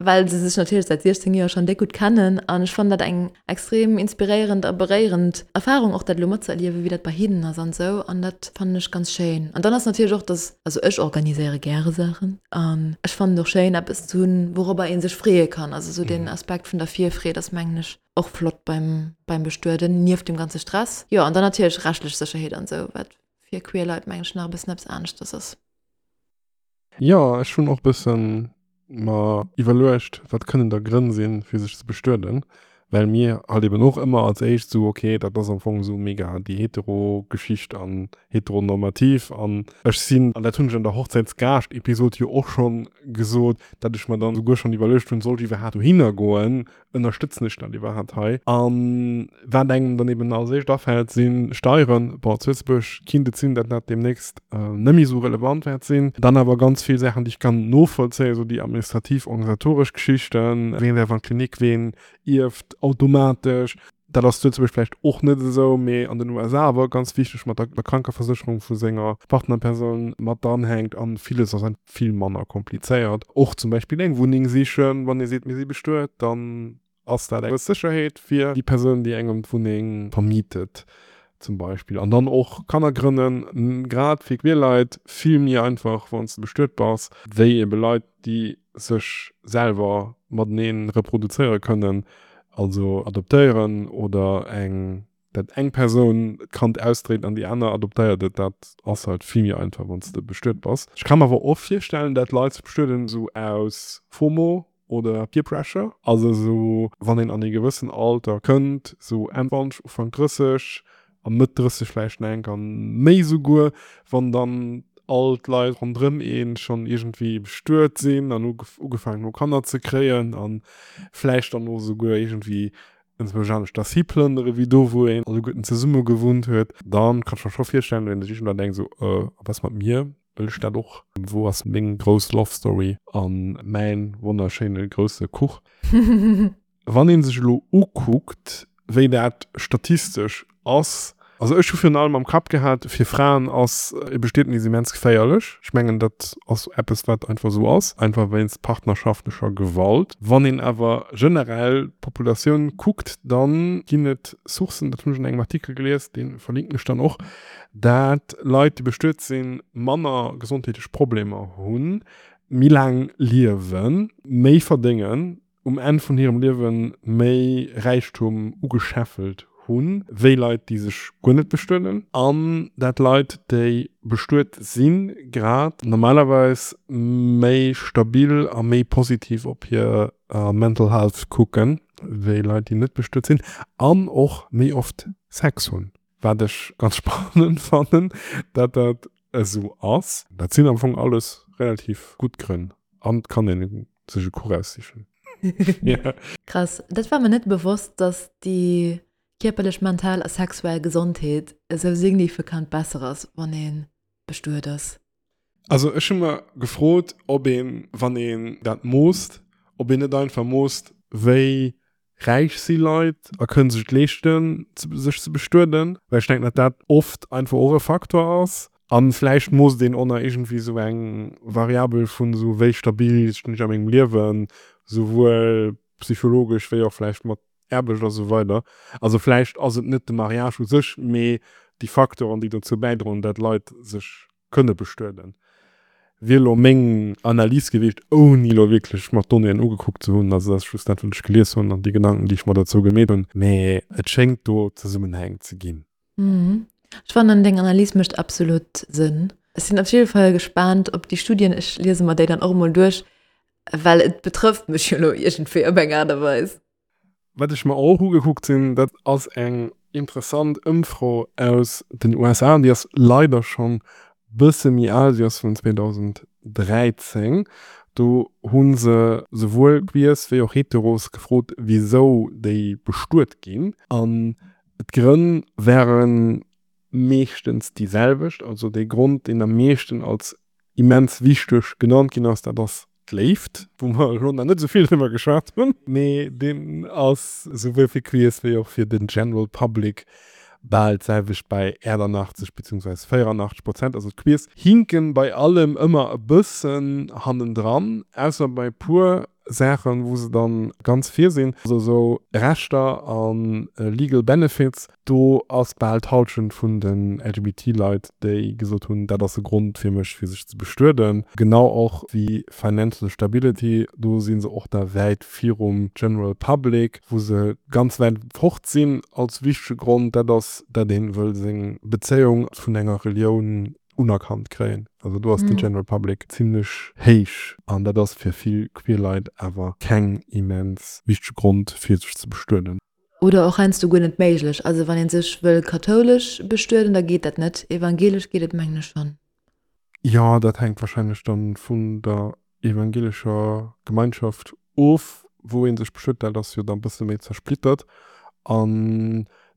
Well se sech natierlech säit 16 Joer schonn déck gutt kennen an ech fannen dat eng extrem inspiréierend a beréierend Erfarung och dat elo matzëerliewen, wéi dat bei hinnen ass an esou an dat fannen ech ganz schéin. An dann ass natierlech och, dass, also ech organiséiere gäre Saachen an ech fannen et och schéin eppes ze hunn, wourobber ee sech freeë kann. Also esou deen Aspekt vun der Virfreed ass mengen ech och flott beim beim Bestueden, nieft dem ganze Stress. Jo an dann natierlech rechtlech Sécherheet an esou, wat fir queer Leit mengen ech nach e bëssen eppes aneschters ass. Jo, ech hunn och bëssen mer iwwerluecht, wat kënnen da Grënn sinn, fir sech ze bestueden, well mir halt eben och ëmmer als éischt esou, ok, dat ass am Fong esou mega déi hetero Geschicht an heteronormativ an ech sinn, an dat hunn ech an der Hochzäitsgaascht-Episod jo och schonn gesot, dat ech mer dann esouguer schonn iwwerluecht hunn, soll ech iwwerhaapt dohinner goen, Ënnerstëtzen ech dat iwwerhaapt hei? A wat engem dann eben als éischt afält, si Steieren. Bon, zu Lëtzebuerg kinnt et sinn, datt dat deemnächst net méi esou relevant wäert sinn. Dann awer ganz vill Saachen, déi ech kann novollzéien, esou déi administrativ, organisatoresch Geschichten, ween däerf an d'Klinik, ween ierft automatesch. Dat ass zu Lëtzebuerg vläicht och net esou, mee an den USA awer ganz wichteg mat der Krankeversécherung vu senger Partnerpersoun mat dranhänkt an villes ass einfach vill manner komplizéiert. Och zum Beispill eng Wunneng sichen, wann ee seet mir si bestuet, dann ass dat eng gewëss Sécherheet fir déi Persoun déi engem d'Wunneng vermietet zum Beispill. An dann och Kanner grënnen, grad fir queer Leit vill méi einfach wann s de bestuet bass, wéi ebe Leit déi sech selwer matenee reproduzéiere kënnen, also adoptéieren oder eng, dat eng Persoun d'Kand ausdréit an déi aner adoptéiert et, dat ass halt vill méi einfach wann s de bestuet bass. Ech ka mer awer och virstellen, dat Leit sech bestueden esou aus FOMO oder Peer Pressure, also esou wann een an ee gewëssen Alter kënnt, esou Enn 20, Ufank 30, a Mëtt 30 vläicht nach enk an méi souguer, wann dann all d'Leit ronderëm een schonn iergendwéi bestuet sinn an ugefaangen hu Kanner ze kréien an vläicht dann och souguer iergendwéi enzwousch anescht dersi plënnere wéi do wou een alleguerten zesumme gewunnt huet, dann kann ech mer scho virstellen, datt een sech iergendwann denkt esou, euh, a wat ass mat mir? Wëll ech dat och? Wou ass meng grouss Love Story an mäin wonnerschéine grousse Kuch? Wann ee sech elo ukuckt, wéi dat statistesch ass, also ech hu virun allem am Kapp gehat, fir Fraen ass e Bestietnis immens geféierlech. Ech mengen, dat ass eppes, wat einfach esou ass, einfach wéinst partnerschaftlecher Gewalt. Wann een awer generell d'Populatioun kuckt, da ginn et Sourcen, dat hunn ech an engem Artikel gelies, dee verlinken ech dann och, dat Leit, déi bestuet sinn, manner gesondheetlech Problemer hunn, méi laang liewen, méi verdéngen, um Enn vun hirem Liewe méi Räichtum ugeschäffelt hunn, wéi Leit, déi sech guer net bestueden. An dat Leit, déi bestuet sinn, grad normalerweis méi stabil a méi positiv op hir Mental Health kucken, wéi Leit, déi net bestuet sinn an och méi oft Sex hunn. Wat ech ganz spannend fannen, dat dat esou ass. Dat sinn am Fong alles relativ gutt Grënn an et kann een sech e Kuch aussichen. Krass, dat war mir net bewosst, dass déi. kierperlech, mental a sexuell Gesondheet esou signifikant besser ass, wann ee bestuet ass. Also ech hu mer gefrot, ob een, wann een dat moosst, ob een net einfach moosst, wéi räich si Leit a kënne sech et leeschten, sech ze bestueden, well ech denken, datt dat oft einfach och e Faktor ass. A vläicht moosst een och nach iergendwéi esou eng Variabel vun esou, wéi stabil stinn ech a mengem Liewen, souwuel psychologesch wéi och vläicht mat Aarbecht a sou weider. Also vläicht ass et net de Mariage u sech, mee déi Faktoren, déi dozou bäidroen, dat Leit sech kënne bestueden. Wier elo meng Analys gewiescht, ouni elo wierklech mer d'Donnéeën ugekuckt ze hunn. Also dat ass just dat, wat ech gelies hunn an déi Gedanken, déi ech mer dozou gemeet hunn. Mee et schéngt do Zesummenhäng ze ginn. Ech fannen, deng Analys mécht absolut Sënn. Ech sinn op jidde Fall gespaant op déi Studien. Ech liese mer déi dann och emol duerch, well et betrëfft mech jo elo iergendwéi op eng Aart a Weis. Wat ech mer och ugekuckt hunn, dat ass eng interessant Ëmfro aus den USA, déi ass leider schonn bësse méi al, déi ass vun 2013. Do hu se souwuel Queers wéi och Heteros gefrot, wisou déi bestuet ginn. An d'Grënn ware meeschtens déi selwecht. Also dee Grond, deen am meeschten als immens wichteg genannt ginn ass, dat ass d'Léift, wou mer elo nach net esou vill driwwer geschwat hunn, mee deen ass souwuel fir Queers wéi och fir den General Public bal d'selwecht bei 88 beziehungsweise 84 Prozent. Also d'Queers hinken bei allem ëmmer e bëssen hannendran, ausser bei puer Saachen, wou se dann ganz vir sinn, also esou Rechter a legal benefits, do ass bal d'Halschent vun den LGBT-Leit, déi gesot hunn, dat ass e Grond fir mech fir sech ze bestueden. Genau och wéi financial stability, do si se och da wäit virum general public, wou se ganz wäit fort sinn als wichtege Grond, dat ass, dat ee wëll seng Bezéiung vun enger Relioun unerkannt kréien. Also do ass den General Public zimlech héich an dat ass fir vill queer Leit awer keng immens wichtege Grond fir sech ze bestueden. Oder och heiansdo guer net méiglech. Also wann ee sech wëll kathoulesch bestueden, da geet dat net. Evangelesch geet et mengen ech schonn. Jo, dat hänkt wahrscheinlech dann vun der evangelescher Gemeinschaft of, wou ee sech bestuet. Dat ass jo da bësse méi zersplittert. A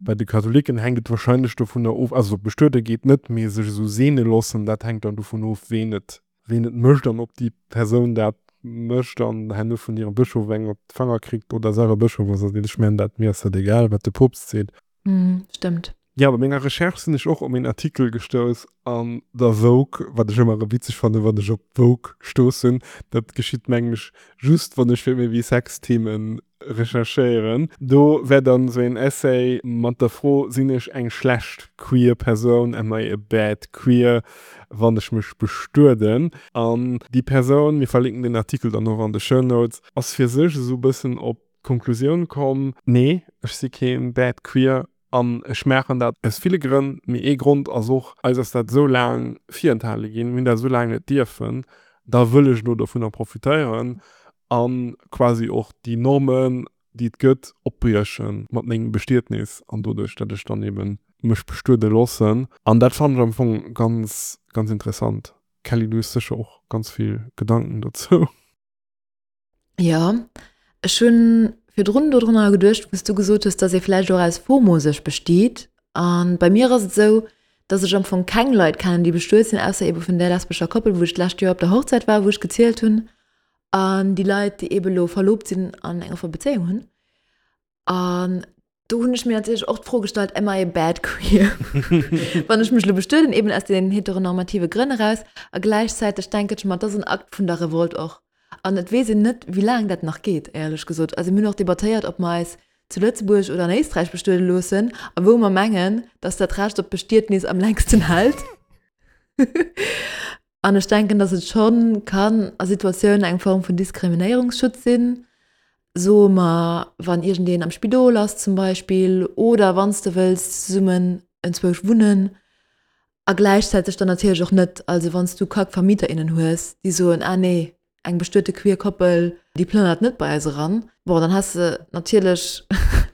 bei de Katholiken hänkt et wahrscheinlech dovunner of, also bestuede geet net, mee sech esou seene loossen, dat hänkt dann dovun of, ween et ween et mécht an ob déi Persoun dat mécht an herno vun hirem Bëschof eng op d'Fanger kritt oder selwer Bëschof ass. Also ech mengen dat, mir ass dat egal, wat de Poopst seet. Stëmmt. Jo, bei menger Recherche sinn ech och op een Artikel gestouss an der Vogue, wat ech ëmmer erëm witzeg fannen, wann ech op d'Vogue stoossen. Dat geschitt mengen ech just wann ech fir méi wéi Sex-Themen recherchéieren. Do wär dann esou een Essay mat der Fro, Sinn ech eng schlecht queer Persoun, am I a bad queer, wann ech mech bestueden? An déi Persoun, mir verlinken den Artikel dann och an de Show Notes, ass fir sech esou e bëssen op d'Konklusioun komm, Nee, ech si keen bad queer an ech maachen dat aus ville Grënn, mee ee Grond ass och, eis ass dat esou laang virenthale ginn, mir hunn dat esou laang net dierfen, da wëll ech elo dovunner profitéieren a quasi och déi Normen, déi et gëtt, opbrieche mat mengem Bestietnis an doduerch, datt ech dann eebe mech bestuede loossen. An dat fannen ech am Fong ganz, ganz interessant. Kelly, du hues sécher och ganz vill Gedanken dozou. Jo, ech hunn virdrun dodrunner geduecht, wou s du gesot hues, dass ee vläicht och aus FOMO sech bestiet. A bei mir ass et esou, dass ech am Fong keng Leit kennen, déi bestuet sinn, ausser eebe vun där lesbescher Koppel, wou ech d'lescht Joer op der Hochzäit war, wou ech gezielt hunn, an déi Leit, déi eebe lo verlobt sinn an eng offe Bezéiung hunn. An do hunn ech mir natierlech och d'Fro gestallt, am I a bad queer? Wann ech mech elo bestueden, eben aus den heteronormative Grënn eraus. A gläichzäiteg denken ech mer, et ass en Akt vun der Revolt och. An et weess een net, wéi laang dat nach geet, éierlech gesot. Also mir hunn och debattéiert, ob mer eis zu Lëtzebuerg oder an Éisträich bestuede loossen a wou mer mengen, dass dat Recht op Bestietnis am längsten hält. An ech denken, dass et schonn kann a Situatiounen eng Form vun Diskriminéierungsschutz sinn, soe mer, wann iergendeen am Spidol ass zum Beispill oder wann s de wëlls zesummen enzwousch wunnen a gläichzäiteg dann natierlech och net, also wann s du Kack-Vermieter, innen hues, déi soen, ah nee, eng bestuete queer Koppel, déi plënnert net bei eis eran, bon, dann has de natierlech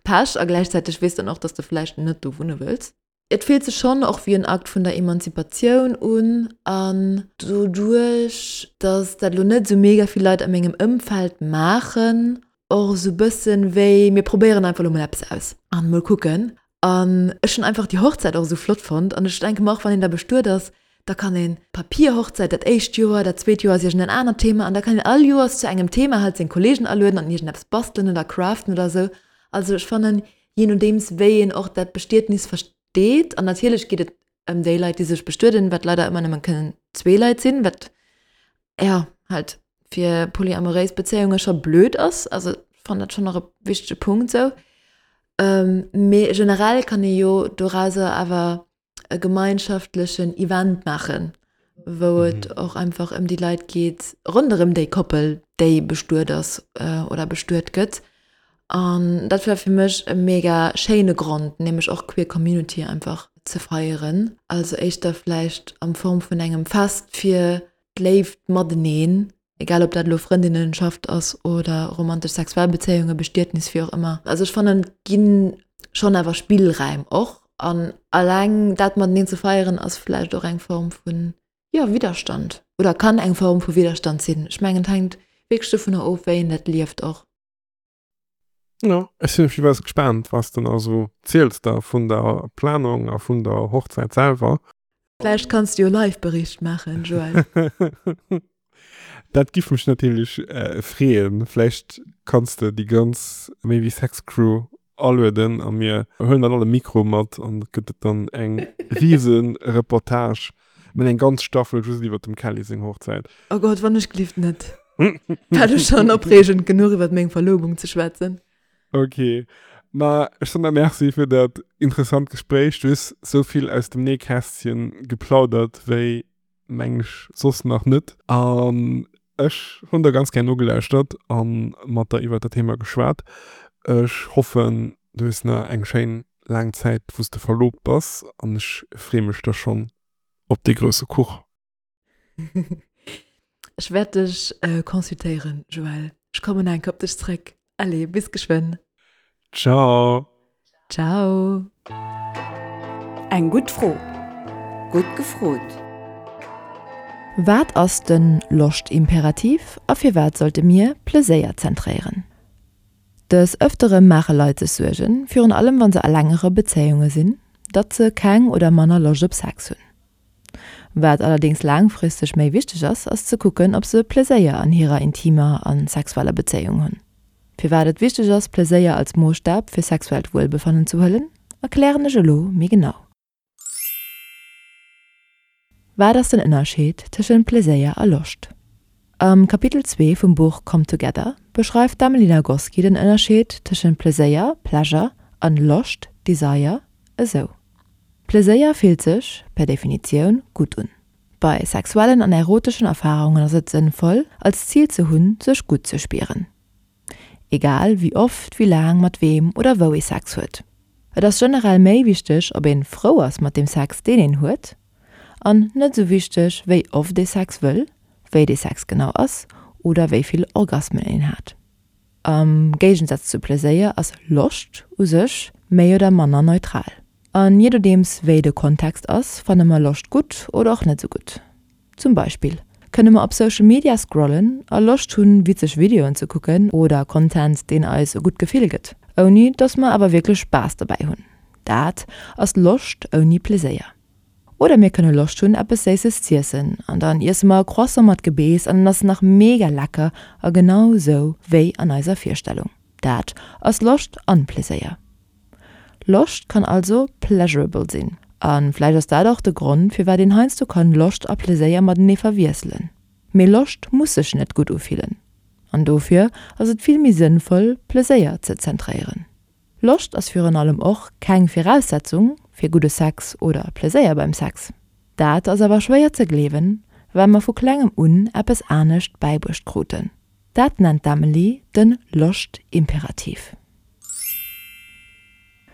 Pech a gläichzäiteg weess dann och, dass de vläicht net do wunne wëlls. Et fillt sech schonn och wéi en Akt vun der Emanzipatioun un an doduerch, dass dat elo net esou mega vill Leit a mengem Ëmfeld maachen, och esou bëssen wéi mir probéieren einfach elo mol eppes aus an mol kucken. An ech hunn einfach déi Hochzäit och esou flott fonnt. An ech denke mer och, wann een da bestuet ass, da kann een Papierhochzäit dat éischt Joer, dat zweet Joer ass iergend en anert Thema an da kann een all Joers zu engem Thema halt seng Kollegen alueden an iergendeppes bastelen oder craften oder esou. Also ech fannen, jee nodeems wéi een och dat Bestietnis versteet, an natierlech geet et ëm déi Leit, déi sech bestueden, wat leider ëmmer nëmmen kënnen zwee Leit sinn, wat ja halt fir polyamoréis Bezéiunge scho blöd ass. Also ech fannen dat schonn och e wichtege Punkt sou. Mee generell kann ee jo dorauser awer e gemeinschaftlechen Event maachen, wou et och einfach ëm déi Leit geet ronderëm déi Koppel, déi bestuet ass oder bestuet gëtt. An dat war fir mech e mega schéine Grond, nämlech och queer Community einfach ze feieren. Also éischter vläicht am Form vun engem Fest fir d'Léift mateneen, egal ob dat elo Frëndinnenschaft ass oder romantesch sexuell Bezéiungen, Bestietnis, wéi och ëmmer. Also ech fannen, et gi schonn awer Spillräim och. An alleng dat mateneen ze feieren ass vläicht och eng Form vun, jo, Widderstand oder kann eng Form vu Widderstand sinn. Ech mengen, et hänkt wierklech dovunner of, wéi een dat lieft och. Jo, ech sinn op jiddefalls gespaant, was de nach esou ziels da vun der Planung a vun der Hochzäit selwer. Vläicht kanns de jo Live-Bericht maachen, Joël. Dat giff mech natierlech freeën. Vläicht kanns de déi ganz Méi wéi Sex Crew alueden a mir huelen dann all e Mikro mat an et gëtt et dann eng riese Reportage, mä eng ganz Staffel just iwwert dem Kelly seng Hochzäit. Oh Gott, wann ech glift net. War du schon opreegend genuch iwwert meng Verlobung ze schwätzen. Ok, ma ech soen der Merci fir dat interessant Gespréich. Du hues sou vill aus dem Nähkästchen geplaudert wéi mengen ech soss nach net. An ech hunn der ganz gär nogelauschtert a mat der iwwert dat Thema geschwat. Ech hoffen du hues nach eng schéin laang Zäit wou s de verlobt bass an ech free mech da schonn op dee grousse Kuch. Ech wäert dech consultéieren, Joël. Ech kommen enk op dech zréck. Allez, bis geschwënn. Ciao. Ciao. Eng gutt Fro. Gutt gefrot. Wat ass de Loscht-Imperativ a firwat sollte mir Pleséier zentréieren? Des Ëftere maache Leit sech Suergen, virun allem wa se a längere Bezéiunge sinn, datt se keng oder manner Loscht op Sex hunn. Wat allerdéngs laangfristeg méi wichteg ass, ass ze kucken, ob se Pleséier an hirer intimer a sexueller Bezéiung hunn. Firwat et wichteg ass, Pleséier als Moosstab fir sexuellt Wuelbefannen ze huelen, erklären ech elo méi genau. Wat ass den Ënnerscheed tëschent Pleséier a Loscht? Am Kapitel 2 vum Buch Come Together beschreift d'Amelie Nagoski den Ënnerscheed tëschent Pleséier, Pleasure, an Loscht, Desire, esou. Pleséier fillt sech, per Definitioun, gutt un. Bei sexuellen an eroteschen Erfarungen ass et sënnvoll, als Zil ze hunn, sech gutt ze spieren. Egal wéi oft, wéi laang, mat weem oder wou ee Sex huet. Et ass generell méi wichteg, ob een frou ass mat deem Sex, deen een huet, an net esou wichteg, wéi oft ee Sex wëll, wéi dee Sex genau ass oder wéi vill Orgasmen een hat. Am Géigensaz zu Pleséier ass Loscht u sech méi oder manner neutral. An jee nodeems wéi de Kontext ass, fanne mer Loscht gutt oder och net sou gutt. Zum Beispill kënne mer op Social Media scrollen a Loscht hunn witzeg Videoen ze kucken oder Content deen eis e gutt Gefill gëtt, ouni dass mer awer wierklech Spaass dobäi hunn. Dat ass Loscht ouni Pleséier. Oder mir kënne Loscht hunn eppes Séisses z'iessen an dann iesse mer e Croissant mat Gebeess an en ass nach mega lecker a genau sou wéi an eiser Virstellung. Dat ass Loscht an Pleséier. Loscht kann also pleasurable sinn a vläicht ass dat och de Grond firwat een heiansdo kann Loscht a Pleséier matenee verwiesselen. Mee Loscht muss sech net gutt ufillen an dofir ass et vill méi sënnvoll Pleséier ze zentréieren. Loscht ass virun allem och keng Viraussetzung fir gudde Sex oder Pleséier beim Sex. Dat ass awer schwéier ze gleewen, well mer vu klengem un eppes anescht bäibruecht kruten. Dat nennt d'Emily de Loscht-Imperativ.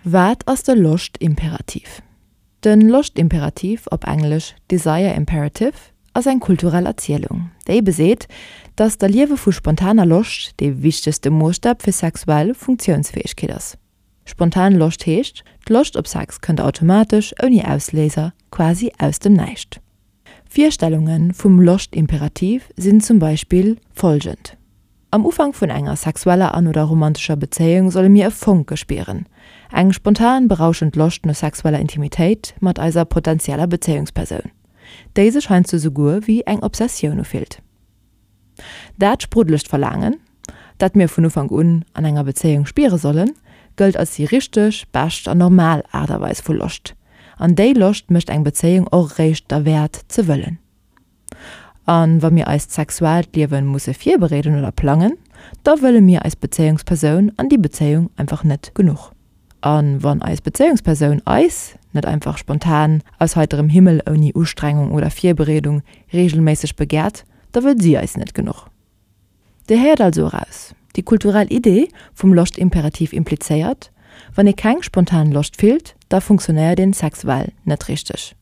Wat ass de Loscht-Imperativ? De Loscht-Imperativ, op Englesch Desire Imperative, ass eng kulturell Erzielung, déi beseet, datt d'Erliewe vu spontaner Loscht dee wichtegste Moosstab fir sexuell Funktiounsfäegkeet ass. Spontan Loscht heescht, d'Loscht op Sex kënnt automatesch, ouni Ausléiser, quasi aus dem Näischt. Virstellunge vum Loscht-Imperativ sinn zum Beispill follgend. Am Ufank vun enger sexueller an oder romantescher Bezéiung solle mir e Fonke spieren, eng spontan, berauschend Loscht no sexueller Intimitéit mat eiser potenzieller Bezéiungspersoun, déi sech heiansdo souguer wéi eng Obsessioun ufillt. Dat spruddelegt Verlaangen, dat mir vun Ufank un an enger Bezéiung spiere sollen, gëllt als déi richteg, bescht an normal Aart a Weis vu Loscht. An déi Loscht mécht eng Bezéiung och eréischt derwäert ze wëllen. A wa mir eist sexuellt Liewen musse virbereeden oder plangen, da wëlle mir eis Bezéiungspersoun an déi Bezéiung einfach net genuch. A wann eis Bezéiungspersoun eis net einfach spontan, aus heiterem Himmel, ouni Ustrengung oder Virbereedung reegelméisseg begäert, da wëll si eis net genuch. Dir héiert also eraus, déi kulturell Idee vum Loschtimperativ implizéiert, wann ee keng spontan Loscht fillt, da funktionéiert een sexuell net richteg.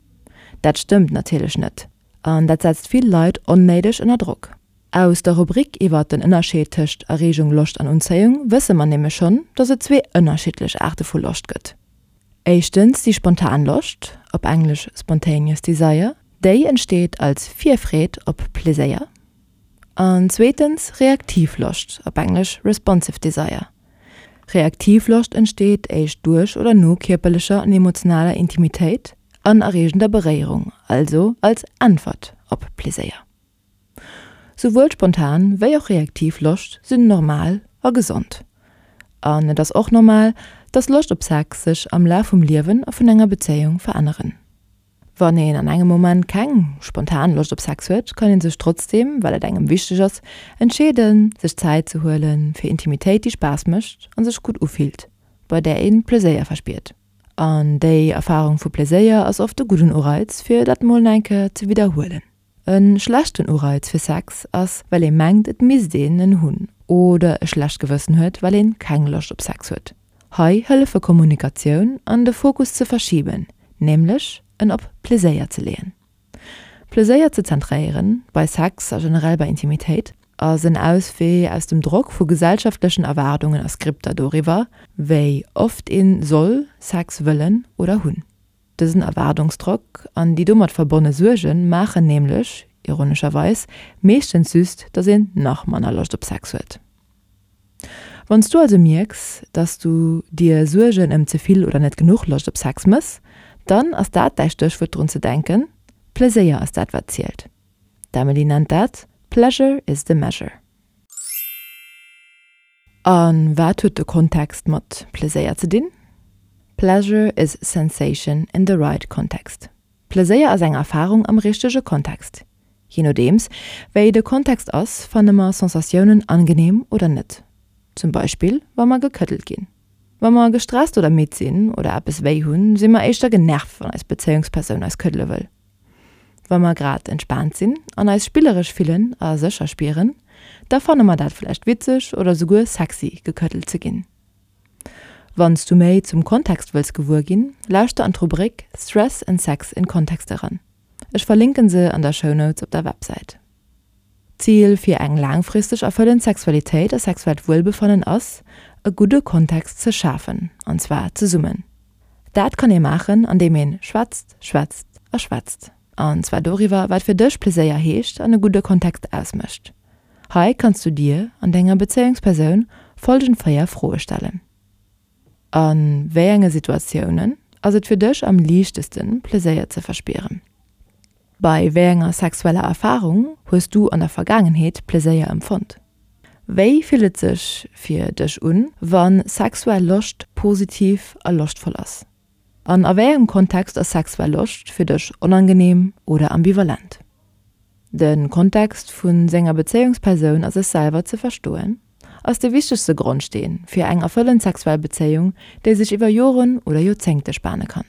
Dat stëmmt natierlech net an dat setzt vill Leit onnéideg ënner Drock. Aus der Rubrik iwwert den Ënnerscheed tëscht Erreegung, Loscht an Unzéiung wësse mer nämlech schonn, dass et zwee ënnerschiddlech Aarte vu Loscht gëtt. Éischtens déi spontan Loscht, op Englesch spontaneous desire, déi entsteet als Virfreed op Pleséier. An zweetens reaktiv Loscht, op Englesch responsive desire. Reaktiv Loscht entsteet éischt duerch oder no kierperlecher an emotionaler Intimitéit an erreegender Beréierung, also als Äntwert op Pleséier. Souwuel spontan wéi och reaktiv Loscht sinn normal a gesond. An et ass och normal, dass Loscht op Sex sech am Laf vum Liewen a vun enger Bezéiung veränneren. Wann een an engem Moment keng spontan Loscht op Sex huet, kann een sech trotzdeem, well et engem wichteg ass, entscheeden, sech Zäit ze huelen fir Intimitéit, déi Spaass mécht a sech gutt ufillt, bei där ee Pleséier verspiert. An déi Erfarung vu Pleséier ass oft e gudden Ureiz, fir dat mol nach eng Kéier ze widderhuelen. E schlechten Ureiz fir Sex ass, well ee mengt et misst een en hunn oder e schlecht Gewëssen huet, well een keng Loscht op Sex huet. Hei hëllefe Kommunikatioun an de Fokus ze verschiben, nämlech en op Pleséier ze leeën. Pleséier ze zentréieren, bei Sex a generell bei Intimitéit, ass en Auswee aus dem Drock vu gesellschaftlechen Erwaardungen a Skripter doriwwer, wéi oft een soll Sex wëllen oder hunn. Dësen Erwaardungsdrock an déi domat verbonne Suerge maachen nämlech, ironescherweis, meeschtens just, dass een nach manner Loscht op Sex huet. Wann s du also mierks, dass du dir Suergen ëm ze vill oder net genuch Loscht op Sex mëss, dann ass dat däi Stéchwuert drun ze denken, Pleséier ass dat wat zielt. D'Emily nennt dat Pleasure is the measure. A wat huet de Kontext mat Pleséier ze dinn? Pleasure is sensation in the right context. Pleséier ass eng Erfarung am richtege Kontext. Je nodeems, wéi de Kontext ass, fanne mer Sensatiounen angenehm oder net. Zum Beispill, wa mer gekëddelt ginn. Wa mer gestresst oder midd sinn oder eppes wéi hunn, si mer éischter genervt, wann eis Bezéiungspersoun eis këddele wëll. Wa mer grad entspaant sinn an eis spilleresch fillen a sécher spieren, da fanne mer dat vläicht witzeg oder souguer sexy, gekëddelt ze ginn. Wann s du méi zum Kontext wëlls gewuer ginn, lauschter an d'Rubrik Stress and Sex in Context eran. Ech verlinken se an der Show Notes op der Websäit. D'Zil fir eng laangfristeg erfëllend Sexualitéit a sexuellt Wuelbefannen ass, e gudde Kontext ze schafen, an zwar zesummen. Dat kann ee maachen, andeem een schwätzt, schwätzt a schwätzt. An zwar doriwwer, wat fir dech Pleséier heescht an e gudde Kontext ausmécht. Hei kanns du dir an denger Bezéiungspersoun folgend 4 Froe stellen. A wéi enge Situatiounen ass et fir dech am liichtesten, Pleséier ze verspieren? Bei wéi enger sexueller Erfarung hues du an der Vergaangenheet Pleséier empfonnt? Wéi fillt et sech fir dech un, wa sexuell Loscht positiv a loschtvoll ass? An a wéi engem Kontext ass sexuell Loscht fir dech onangenehm oder ambivalent? De Kontext vu senger Bezéiungspersoun a sech selwer ze verstoen, ass de wichtegste Grondsteen fir eng erfëllend sexuell Bezéiung, déi sech iwwer Joren oder Joerzéngte spane kann.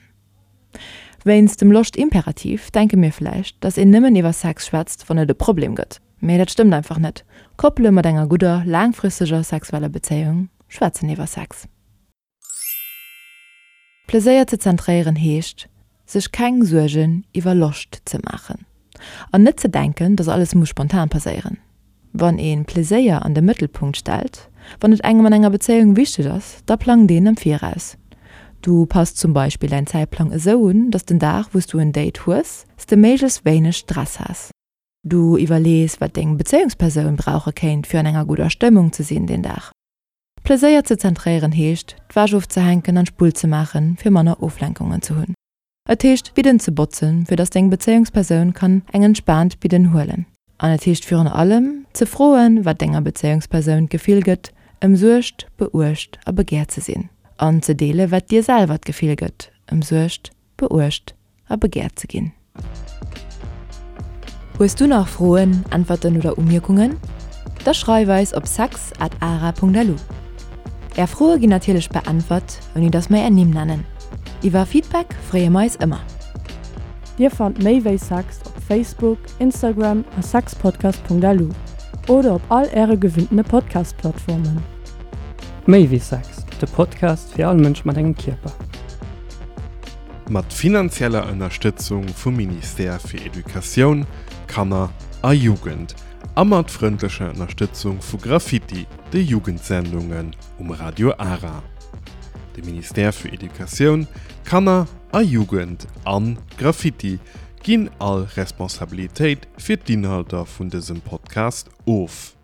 Wéinst dem Loscht-Imperativ denke mir vläicht, dass een nëmmen iwwer Sex schwätzt, wann et e Problem gëtt. Mee dat stëmmt einfach net. Koppele mat enger gudder, laangfristeger sexueller Bezéiung schwätzen iwwer Sex. Pleséier ze zentréieren heescht, sech keng Suergen iwwer Loscht ze maachen an net ze denken, dass alles muss spontan passéieren. Wann ee Pleséier an de Mëttelpunkt stellt, wann et engem an enger Bezéiung wichteg ass, da plangt een am Viraus. Du passt zum Beispill däin Zäitplang esou un, dass den Dag wou s du en Date hues, s de méiglechst wéineg Stress has. Du iwwerlees, wat deng Bezéiungspersoun brauche kéint, fir an enger gudder Stëmmung ze sinn deen Dag. Pleséier ze zentréieren heescht, d'Wäsch ofzehänken an d'Spull ze maachen, fir manner Oflenkungen ze hunn. Et heescht, d'Bidden ze botzen, fir dass deng Bezéiungspersoun kann eng entspaant Bidden huelen. An et heescht virun allem, ze froen, wat denger Bezéiungspersoun d'Gefill gëtt, ëmsuergt, beuecht a begäert ze sinn. An ze deele wat dir selwer d'Gefill gëtt, ëmsuergt, beuecht a begäert ze ginn. Hues du nach Froen, Äntwerten oder Umierkungen? Da schreif eis op sex at ara.lu. Är Froe ginn natierlech beäntwert, ouni dass mer är Nimm nennen. Iwwer Feedback freeë mer eis ëmmer. Dir fannt méi wéi Sex op Facebook, Instagram a sexpodcast.lu oder op all äre gewinntene Podcast-Plattformen. Méi wéi Sex, de Podcast fir all Mënsch mat engem Kierper. Mat finanzieller Ënnerstëtzung vum Ministère fir Educatioun, Kanner a Jugend a mat frëndlecher Ënnerstëtzung vu Graffiti, de Jugendsendungen um Radio Ara. De Ministère fir Educatioun, Kanner a Jugend an Graffiti ginn all Responsabilitéit fir d'Inhalter vun dësem Podcast of.